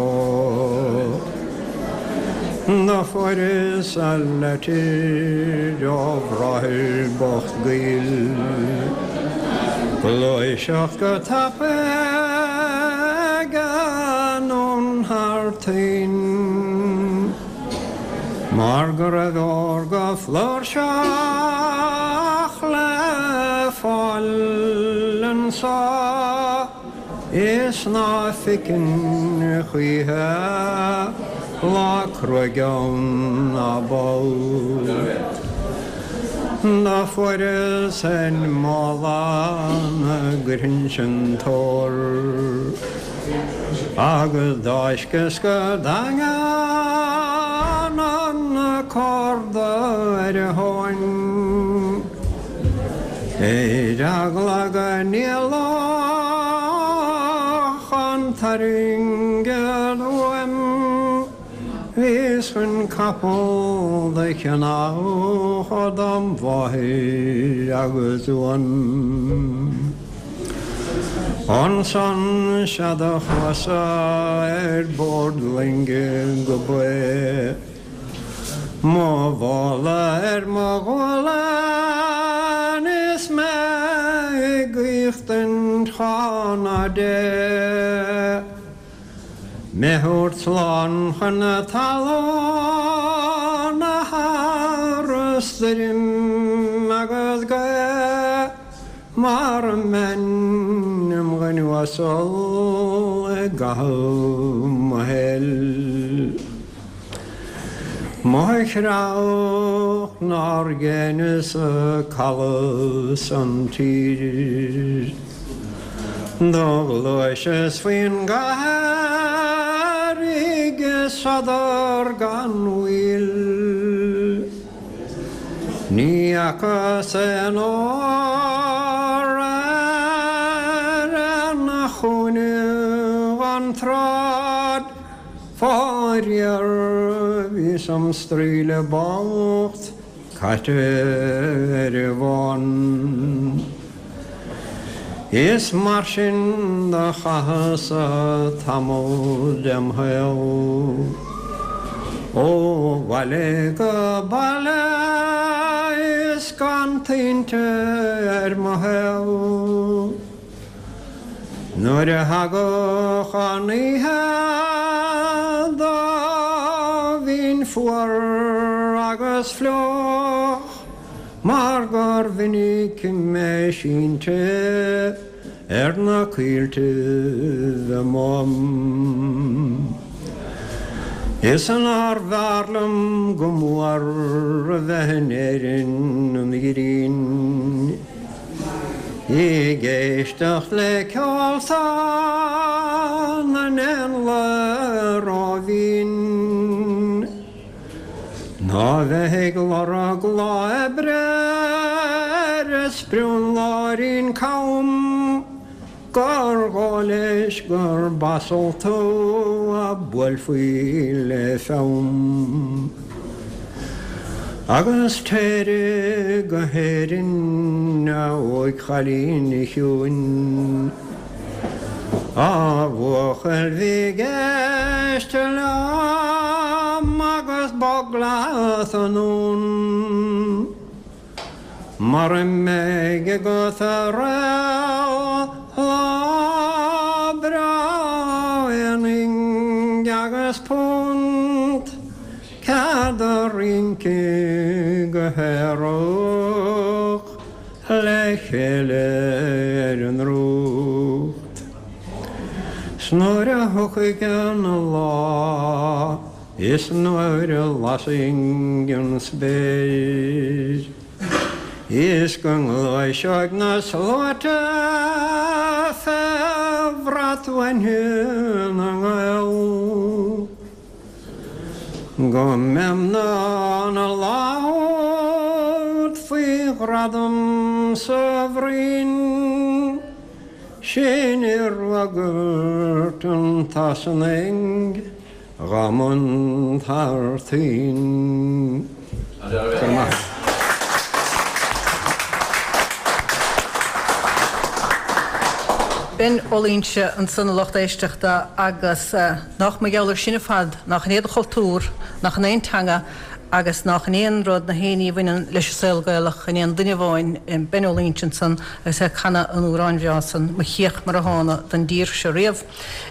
Do fuaireas leitir ó bhráthair bocht gaoil Gluaiseacht go tapaidh anonn thar toinn Mar go raibh ór go flúirseach le fáil anso. Is ná feicfinn choíche lá cruaidh ann ná ball. Do fuaireas féin mála 'na gcuirfinnse an t-ór agus d'fháisceas go daingean an córda ar a thóin. Ar eagla go n-éalódh an t-airgead uaim, bhíos chun capall do cheannach dom mháthair agus uan. Ansan sea do chuas-sa ar bord loinge go Bae. Mo mhála ar mo ghualainn is mé ag aochtaint chána Dé. Mé thabhairt slán chun na talún thar stoirm agus gaoth mar a mbeinn im dhuine uasal i gcaitheamh mo shaoil. Mo chreach nár dheineas-sa caladh san tír. Do ghluaiseas faoin gcathair ag sodar gan mhoill. Ní fhacas aon ór ar aon chúinne den tsráid. Faraor, bhíos im straoille bocht caite ar an bhfán. Is mar sin do chaitheas-sa tamall dem shaol, ó bhaile go baile is gan tointe ar mo shaol. Nuair a thagadh an oíche do bhínn fuar agus fliuch mar gur mhinic mé sínte ar na coilltibh amuigh. Is nár bhfearr liom go mór a bheith in Éirinn an ghrian. Ag éisteacht le ceol na n-éanlaith róbhinn Ná bheith ag lorg lá oibre ar sprionlóirín cam Gur dhóigh leis gur b'asal tú a buailfí le fonn. Agus téire go hÉirinn, a óigchailín chiúin. A bhuachaill bhig éist liom agus bog leat anonn Mara mbeidh agat a rogha lá breá aon phinge agus punt Cead a rince go haerach le chéile ar an ndrúcht. 'S nuair a thiocfaidh an lá is nuair a lasfaidh an spéir is go ngluaiseoidh na sluaite fé bhrat bhainne na nGael. Go mbeam in ann a labhairt faoi ghradam sa bhroinn sin i bhfreagairt an tSasanaigh dá mbun thar toinn. Go raibh maith agat. Ben Ó Loingsigh ansan a lucht éisteachta agus. Nach mar gheall air sin ar fad, nach in é do chultúr, nach in é an teanga agus nach in é an rud, na haon ní a bhaineann leis an saol Gaelach in aon duine amháin, Ben Ó Loingsigh ansan agus é ag canadh an amhráin bhreá san, Mo Chíoch Mar a Thána don dtír seo riamh.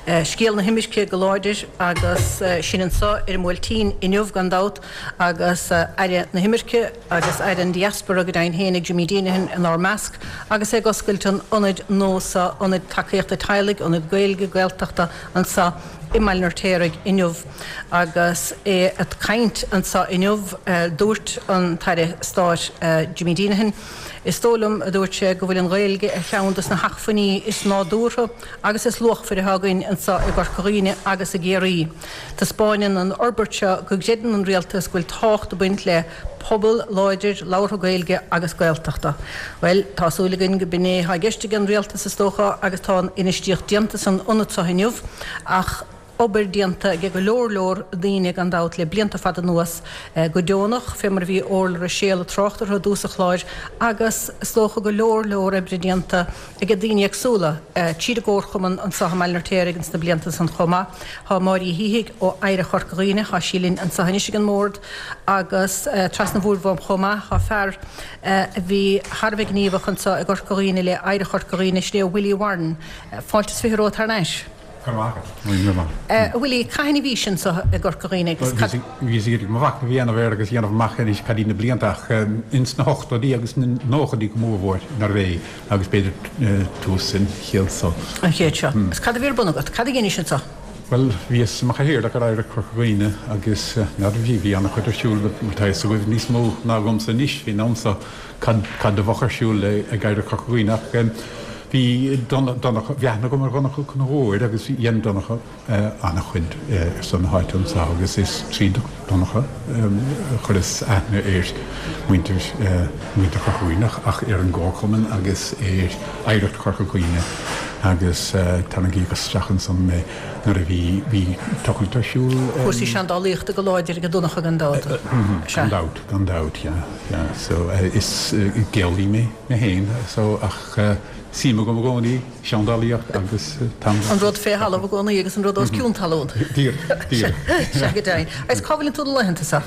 Scéal na himirce go láidir agus sinn anso ar an mBuailtín inniu gan dabht agus Aire na hImirce agus Aire an Diaspora go deimhin féinig Jimmy Deenihan inár measc agus é ag oscailt an ionaid nua seo, Ionad Tacaíochta Teaghlaigh, Ionad Gaeilge, Gaeltachta, anseo i mBaile an Fheirtéaraigh inniu. Agus é ag caint anseo inniu, dúirt an tAire Stáit Jimmy Deenihan, Is dóigh liom, a dúirt sé, go bhfuil an Ghaeilge ar cheann de na hacmhainní is nádúrtha agus is luachmhaire atá againn anseo i gCorca Dhuibhne agus i gCiarraí. Taispeáineann an fhorbairt seo go gcreideann an Rialtas go bhfuil tábhacht ag baint le pobal láidir labhartha Gaeilge agus Gaeltachta. Bhuel, tá súil againn go b'in é atá i gceist ag an Rialtas is dócha agus tá an infheistíocht déanta san ionad seo inniu ach obair déanta ag go leor leor daoine gan dabht le blianta fada anuas go deonach, fé mar a bhí Orla Ruiséal ag trácht orthu i dtús an chláir agus is dócha go leor leor oibre déanta ag daoine éagsúla tríd an gComharchumann anseo i mBaile an Fheirtéaraigh ins na blianta san chomh maith. Tá Máire Uí Shíthigh ó Oidhreacht Chorca Dhuibhne, tá sí linn anseo anois ag an mbord agus trasna an bhoird uaim chomh maith tá fear a bhí thar a bheith gníomhach anseo i gCorca Dhuibhne le Oidhreacht Chorca Dhuibhne, sin é Willie Warren. Fáilte is 20 romhat thar n-ais. Go raibh maith agat. Go raibh maith. A Willie, cathain a bhís anseo i gCorca Dhuibhne agus cad. Bhíos ag iarraidh mo mhachnamh a dhéanamh air agus a dhéanamh amach anois cad iad na blianta ach ins na hochtóidí agus na nóchaidí go mórmhór nárbh é agus b'fhéidir tús an chéad seo. An chéad seo. Agus cad a bhí ar bun agat? Cad a dheinis anseo? Bhuel, bhíos i mo chathaoirleach ar Oidhreacht Chorca Dhuibhne agus n'fheadar, bhí, bhí an-chuid ar siúl, tá a fhios agaibh níos mó ná agamsa anois faoin am so cad, cad a bheadh ar siúl ag Oidhreacht Chorca Dhuibhne ach bhí Donncha, bhí aithne agam ar Dhonncha Ó Conchubhair agus dhein Donncha an-chuid ar son na háite anseo agus is tríd Donncha a chuireas aithne ar mhuintir, muintir Chorca Dhuibhne ach ar an gComharchumann agus ar Oidhreacht Chorca Dhuibhne agus tarraingíodh isteach ansan mé nuair a bhí, bhí tochailt ar siúl. Cúrsaí seandálaíochta go láidir ag Donncha gan dabht. Gan dabht, gan dabht, yeah, yeah. So is geolaí mé féin so ach suim agam i gcónaí seandálaíocht agus tá. An rud fé thalamh i gcónaí agus an rud os cionn talún. Díreach, díreach. Sea, go deimhin. Agus cá bhfuileann tú na laethanta seo?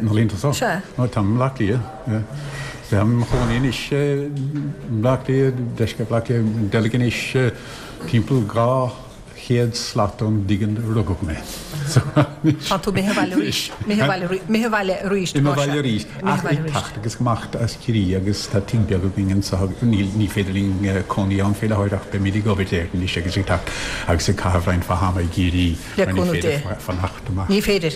Na laethanta seo? Sea. Ó, táim i mBleá Cliath. Táim i mo chónaí anois i mBleá Cliath, deisceart Bhaile Átha Cliath, i nDeilg anois, timpeall 200 slat ón dtigh ina rugadh mé. Tá tú imithe abhaile arís. Imithe abhaile arís. Imithe abhaile arís. Imithe abhaile arís. Ach ag teacht agus ag imeacht as Ciarraí agus tá tigh beag againn anseo. Níl, ní féidir linn cónaí ann fé láthair ach beimid ag obair air anois agus ag teacht agus ag caitheamh roinnt mhaith ama i gCiarraí Le mar ní cúnamh féidir Dé. fanacht amach. Ní féidir.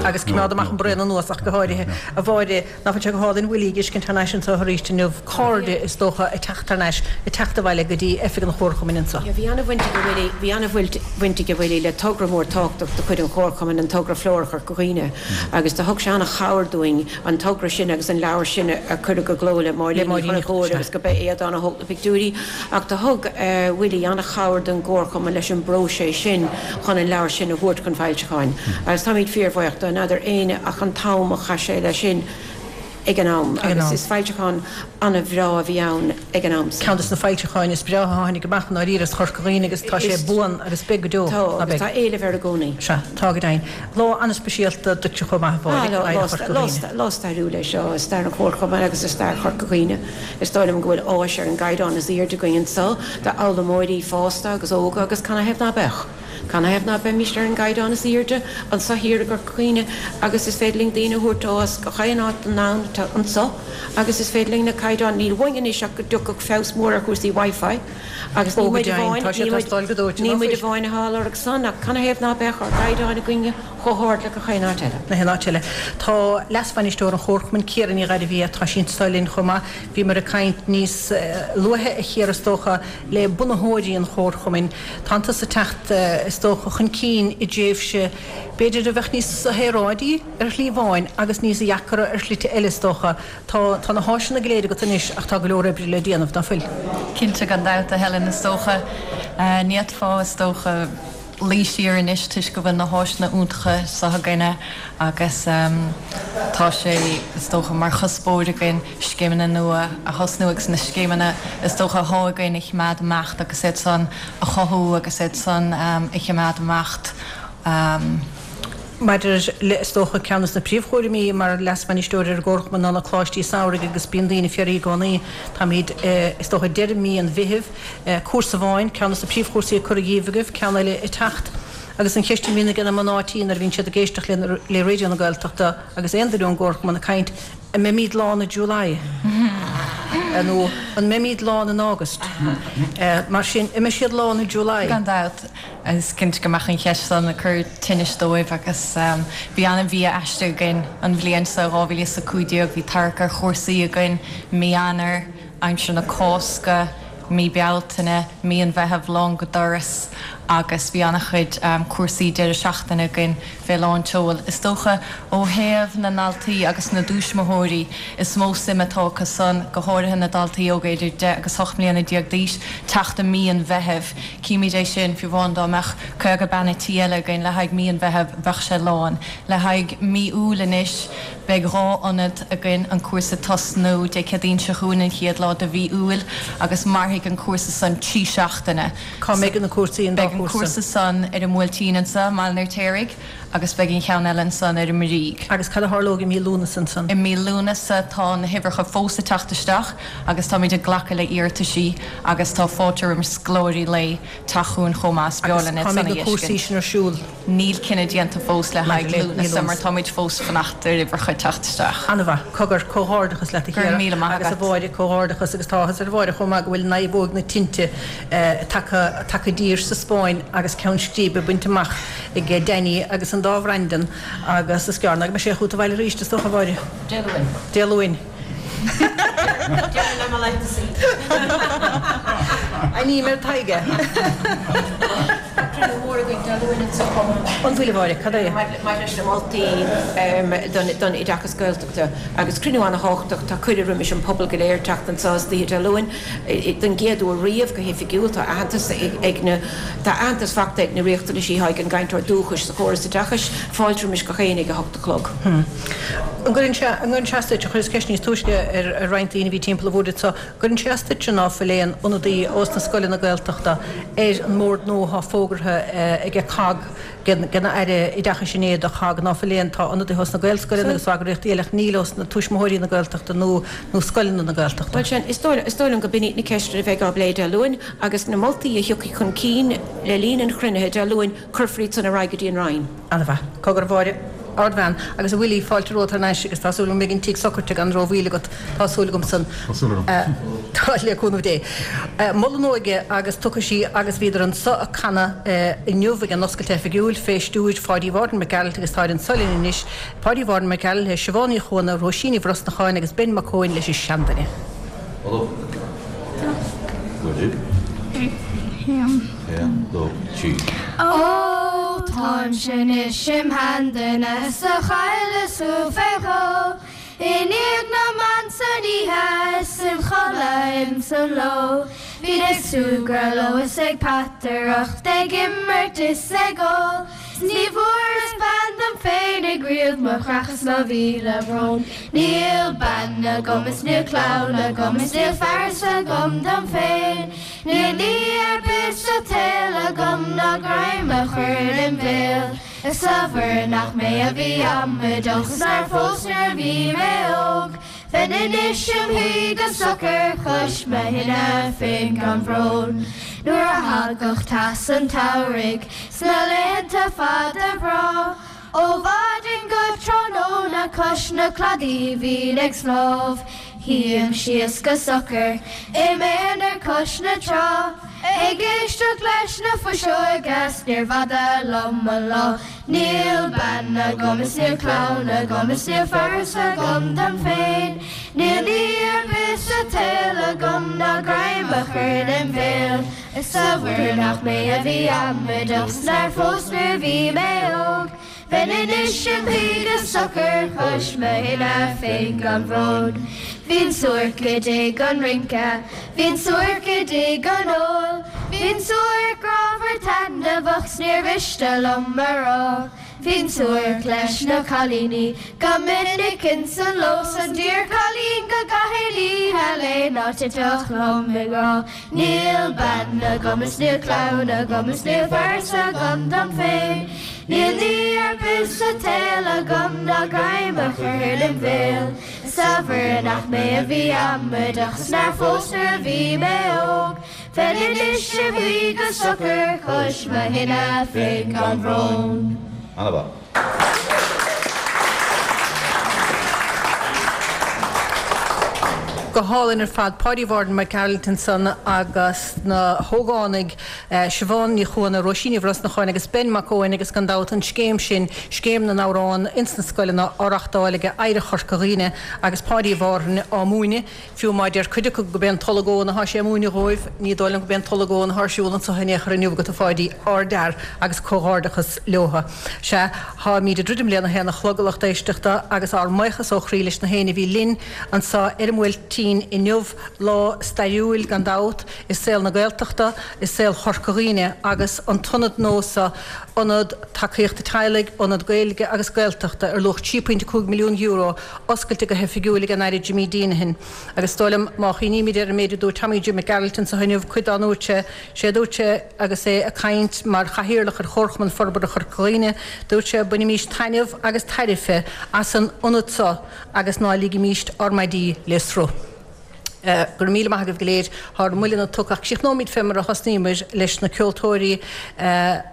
Agus coimeád amach an braon anuas ach go háirithe. A Mháire, Nach bhfuil sé go hálainn Willie a dh'fheiscint thar n-ais anseo arís inniu, cairde is dócha ag teacht thar n-ais, ag teacht abhaile go dtí oifig an Chomharchumainn anseo. Yeah, bhí an-bhaint ag Willie, bhí an-bhaint ag Willie le togra mór tábhachtach de chuid an Chomharchumainn, an togra Flóra Chorca Dhuibhne, agus do thug sé an-chabhair dúinn an togra sin agus an leabhar sin a cuireadh i gcló le Máirín Ní Chonchúir agus go b'é Aodán a thóg na pictiúirí. Ach do thug Willie an-chabhair don gComharchumann leis an bpróiseas sin chun an leabhar sin a thabhairt chun foilseacháin. Agus táimid fíorbhuíoch de. N'fheadar éinne ach an t-am a chaith sé leis sin. ag an am agus is foilseachán an-bhreá a bhí ann ag an am san. Ceann de na foilseacháin is breátha a tháinig amach i ndáiríre as Chorca Dhuibhne agus tá sé buan agus beidh go deo, Tá, agus tá éileamh air i gcónaí. Sea, tá go deimhin. Lá an-speisialta duitse chomh maith, a Mháire, Oidhreacht Chorca Dhuibhne. Lá stairiúil é seo i stair an Chomharchumainn agus i stair Chorca Dhuibhne. Is dóigh liom go bhfuil áis ar an gcaighdeán is aoirde againn anso d'fhoghlaimeoirí fásta agus óga agus canathaobh ná beadh? Canathaobh ná beimíst ar an gcaighdeán is aoirde anso thiar i gCorca Dhuibhne agus is féidir linn daoine a thabhairt ó as gach aon áit den domhan anso agus is féidir linn na caighdeáin, níl uainn anois ach go dtiocfadh feabhas mór ar chúrsaí Wi-Fi agus ní muid amháin, ní muid amháin atá á lorg san ach canathaobh ná beadh ár gcaighdeáin againne chomh hard le gach aon áit eile. Na haon áit eile. Tá leas-bhainisteoir an Chomharchumainn, Ciara Ní Ghairbhia, tá sí anso linn chomh maith. Bhíomar ag caint níos luaithe, a Chiara, is dócha, le bunaitheoirí an Chomharchumainn. Tánn tusa ag teacht, is dócha, chun cinn i dtréimhse, b'fhéidir, a bheadh níos saoráidí ar shlí amháin agus níos deacra ar shlite eile, is dócha. Tá, tá na háiseanna go léir agat anois ach tá go leor oibre le déanamh, ná fuil? Cinnte, gan dabht, a Helen, is dócha. Ní fhéadfá, is dócha, luí siar anois toisc go bhfuil na háiseanna iontacha seo againne agus tá sé, is dócha, mar chuspóir againn scéimeanna nua a thosnú agus na scéimeanna, is dócha, athá againn a chimeád ag imeacht agus iad san a chothú agus iad san a chimeád ag imeacht. Maidir le, is dócha, ceann de na príomhchúraimí mar leas-bhainisteoir ar an gComharchumann ná na coláistí samhraidh agus bíonn daoine ag fiafraí i gcónaí, táimid, is dócha, deireadh mí an Mheithimh, Cúrsa amháin, ceann de na príomhchúrsaí ag cur dhíobh agaibh, ceann eile ag teacht. Agus an cheist a bhíonn ag na mná tí nuair a bhíonn siad ag éisteacht le le Raidió na Gaeltachta agus aon duine ón gComharchumann ag caint, an mbeimid lán i July? Nó an mbeimid lán in August? Mar sin, an mbeidh siad lán i July? Gan dabht, is cinnte go mbeadh an cheist san ag cur tinnis dóibh agus bhí an-mhí aisteach againn an bhliain seo, 2015, bhí tarrac ar chúrsaí againn mí Eanáir, aimsir na Cásca, mí Bealtaine, mí an Mheithimh lán go doras agus bhí an-chuid cúrsaí deireadh seachtaine againn fé lán tseoil. Is dócha ó thaobh na ndaltaí agus na dtuismitheoirí is mó suim atá acu san, go háirithe na daltaí óga idir 10 agus 18 mbliana d'aois, teacht i mí an Mheithimh. Címid é sin, fiú amháin dá mbeadh 50 bean a' tí eile againn le haghaidh mí an Mheithimh bheadh sé lán. Le haghaidh mí Iúil anois, Beidh 2 ionad againn, an cúrsa ag tosnú Dé Céadaoin seo chugainn, an chéad lá de mhí Iúil, agus mairfidh an cúrsa san 3 seachtaine. Cá mbeidh na cúrsaí, an dá Beidh an cúrsa san ar an mBuailtín anso, i mBaile an Fheirtéaraigh, agus beidh an cheann eile ansan ar an mBrígh. Agus cad a tharlóidh i mí Lúnasa ansan? I mí Lúnasa tá na huimhreacha fós ag teacht isteach agus táimid ag glacadh le iarrataisí agus tá fáilte roimh scoláirí lae teacht chugainn chomh maith, is breá Agus linn iad cá san mbeidh a na cúrsaí fheiscint. sin ar siúl? Níl cinneadh déanta fós le Maidir haghaidh le mí Lúnasa mar Lúnasa. táimid fós fanacht ar uimhreacha teacht isteach. An-mhaith. Cogar, comhghairdeachas leat a Go raibh Chiara míle maith agus a agat. Mháire, comhghairdeachas agus tá áthas ar Mháire chomh maith go bhfuil naomhóg na tinte tagtha tagtha i dtír sa Spáinn agus ceann scríbe bainte amach ag Danny agus an dá Bhrendan agus is gearr ná go mbeidh sé chugat abhaile arís is dócha a Mháire. Dé Luain. Dé Luain. Deireadh le mo laethanta Ainm ar Tadhg é. Tá cruinniú mór againn Dé Luain anseo chomh maith. An bhfuil, a Mháire? Cad é? Maidir leis na moltaí don oideachas Gaeltachta agus cruinniú an-thábhachtach, tá cuireadh roimis an pobal go léir teacht anseo istoíche Dé Luain don gcéad uair riamh go hoifigiúil. Tá aitheantas ag na, tá aitheantas fachta ag na riachtanaisí atá ag an gcainteoir dúchais sa chóras oideachais. Fáilte roimis gach éinne ag a hocht a chlog. An gcuireann sé, an gcuireann sé as duit, chuireas ceist níos túisce ar roinnt daoine a bhí timpeall an bhoird anseo, an gcuireann sé as duitse ná fuil aon ionadaí ós na scoileanna Gaeltachta ar an mbord nua atá fógartha aige cogg, ag an Aire Oideachais inné do chogg, ná fuil aon, tá ionadaithe ós na Gaelscoileanna agus ó eagraíochtaí eile ach níl ós na tuismitheoirí na Gaeltachta nó nó scoileanna na Gaeltachta. Bhuel sin, is dóigh, is dóigh liom go b'in iad na ceisteanna a bheidh á bplé Dé Luain agus na moltaí a thiocfaidh chun cinn le linn an chruinnithe Dé Luain, cuirfear iad san ar aghaidh go dtí an Roinn. An-mhaith. Cogar, a Mháire. Ardbhean. Agus a Willie, fáilte romhat thar n-ais agus tá súil agam go mbeidh an tigh socraite gan rómhoill agat. Tá súil agam san. Tá súil agam. Tá, le cúnamh Dé. Moladh na hÓige agus tiocfaidh sí agus bhíodar anso ag canadh inniu ag an oscailt oifigiúil fé stiúir Pháidí Mhártan Mac Gearailt agus táid anso linn anois, Páidí Mhártan Mac Gearailt, Siobhán Ní Chuana, Róisín Ní Bhrosnacháin agus Ben Mac Eoin leis an seanduine. Ó, táimse anois im sheanduine 's a chailleas thú fé dhó I ndiaidh na mban san oíche is im chodladh ins an ló Bhínn ag súgradh leo is ag peataireacht ag imirt is ag ól 'S ní bhfuaireas bean dom féin. tháinig riamh mo chreach is mo mhíle brón. Níl bean agam is níl clann agam is níl fearas agam dom féin. Níl ní ar bith sa tsaol agam ná greim a chur im bhéal. Is a Mhuire nach mé a bhí amaideach 's nár phós nuair a bhí mé óg. Bheinn anois im shuí go socair cois mo thine féin gan bhrón. Nuair a thagadh teas an tsamhraidh sna laethanta fada breá, ó mhaidin go tráthnóna cois na cladaí bhínn ag snámh. Shuínn síos go socair i m'aonar cois na trá, ag éisteacht leis na fuiseoga 's níorbh fhada liom an lá. Níl bean agam is níl clann agam is níl fearas agam dom féin. Níl ní ar bith sa tsaol agam ná greim a chur im bhéal. Is a Mhuire nach mé a bhí amaideach 's nár phós nuair a bhí mé óg. Bheinn anois im shuí go socair cois mo thine féin gan bhrón. Bhínn suairc i dtigh an rince, bhínn suairc i dtigh an óil, bhínn suairc grámhar taitneamhach 's níor mhiste liom a rá. Bhínn suairc leis na cailíní go minic ins an ló 's an d'iarchailín go gcaithfinn oíche léi ná titfeadh liom i ngrá. Níl bean agam is níl clann agam is níl fearas agam dom féin. Níl ní ar bith sa tsaol agam ná greim a chur im bhéal. Is a Mhuire nach mé a bhí amaideach 's nár phós nuair a bhí mé óg. Bheinn anois im shuí go socair cois mo thine féin gan bhrón. Ana-mhaith. Go hálainn ar fad. Páidí Mhárthain Mac Gearailt ansan agus na hógánaigh Siobhán Ní Chuana, Róisín Ní Bhrosnacháin agus Ben Mac Eoin agus gan dabht an scéim sin, Scéim na nAmhrán ins na Scoileanna á reachtáil ag Oidhreacht Chorca Dhuibhne agus Páidí Mhárthain á múineadh. Fiú má deir cuid acu go b'é an Tolg Eoghan atá sé a múineadh dhóibh, ní dóigh liom go b'é an Tolg Eoghan atá ar siúl anso in aon chor inniu agat a Pháidí, ardfhear agus comhghairdeachas leotha. Sea, táimíd ag druidim lena haon a chlog a lucht éisteachta agus ár mbuíochas ó chroí leis na héinne a bhí linn anso ar an mBuailtín inniu, lá stairiúil gan dabht i saol na Gaeltachta, i saol Chorca Dhuibhne agus an t-ionad nua so, Ionad Tacaíochta Teaghlaigh, Ionad Gaeilge agus Gaeltachta ar luach €3.5 milliún, oscailte go hoifigiúil ag an Aire Jimmy Deenihan. Agus is dóigh liom, má chuimhnímid ar an méid a dúirt Tommy Jim Mac Gearailt anso inniu, cuid dá ndúirt sé, sé a dúirt sé agus é ag caint mar chathaoirleach ar Chomharchumann Forbartha Chorca Dhuibhne, dúirt sé, bainimís taitneamh agus tairbhe as an ionad so agus ná ligimíst ár maidí le sruth. Go raibh míle maith agaibh go léir. Tá ár mbuille tugtha ach críochnóimid fé mar a thosnaíomar leis na ceoltóirí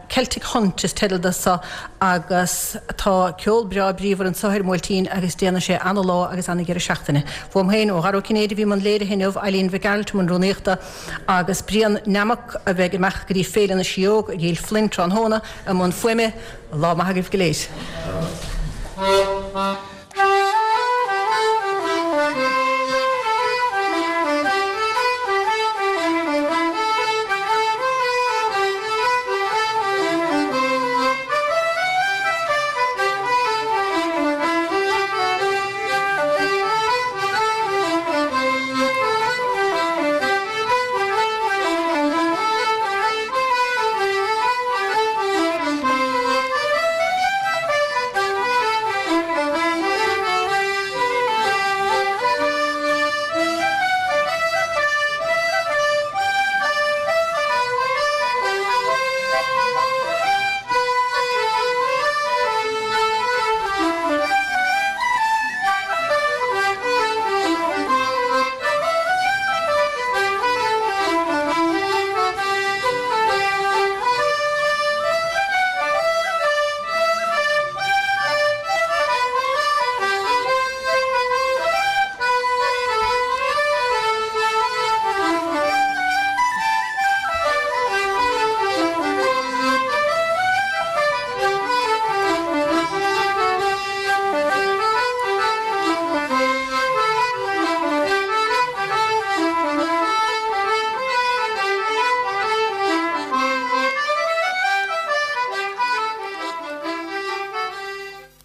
Celtic Hunt is teideal do so agus tá ceol breá bríomhar anso ar an mBuailtín agus déanfaidh sé ana-lá agus ana-dheireadh seachtaine. Uaim féin, ó Dhara Ó Cinnéide a bhí i mbun léirithe inniu, Eileen Mhic Gearailt i mbun rúnaíochta agus Brian Nammock a bheidh ag imeacht go dtí Féile na Síóg ag Gill Flynn tráthnóna i mbun fuaime. Lá maith agaibh go léir.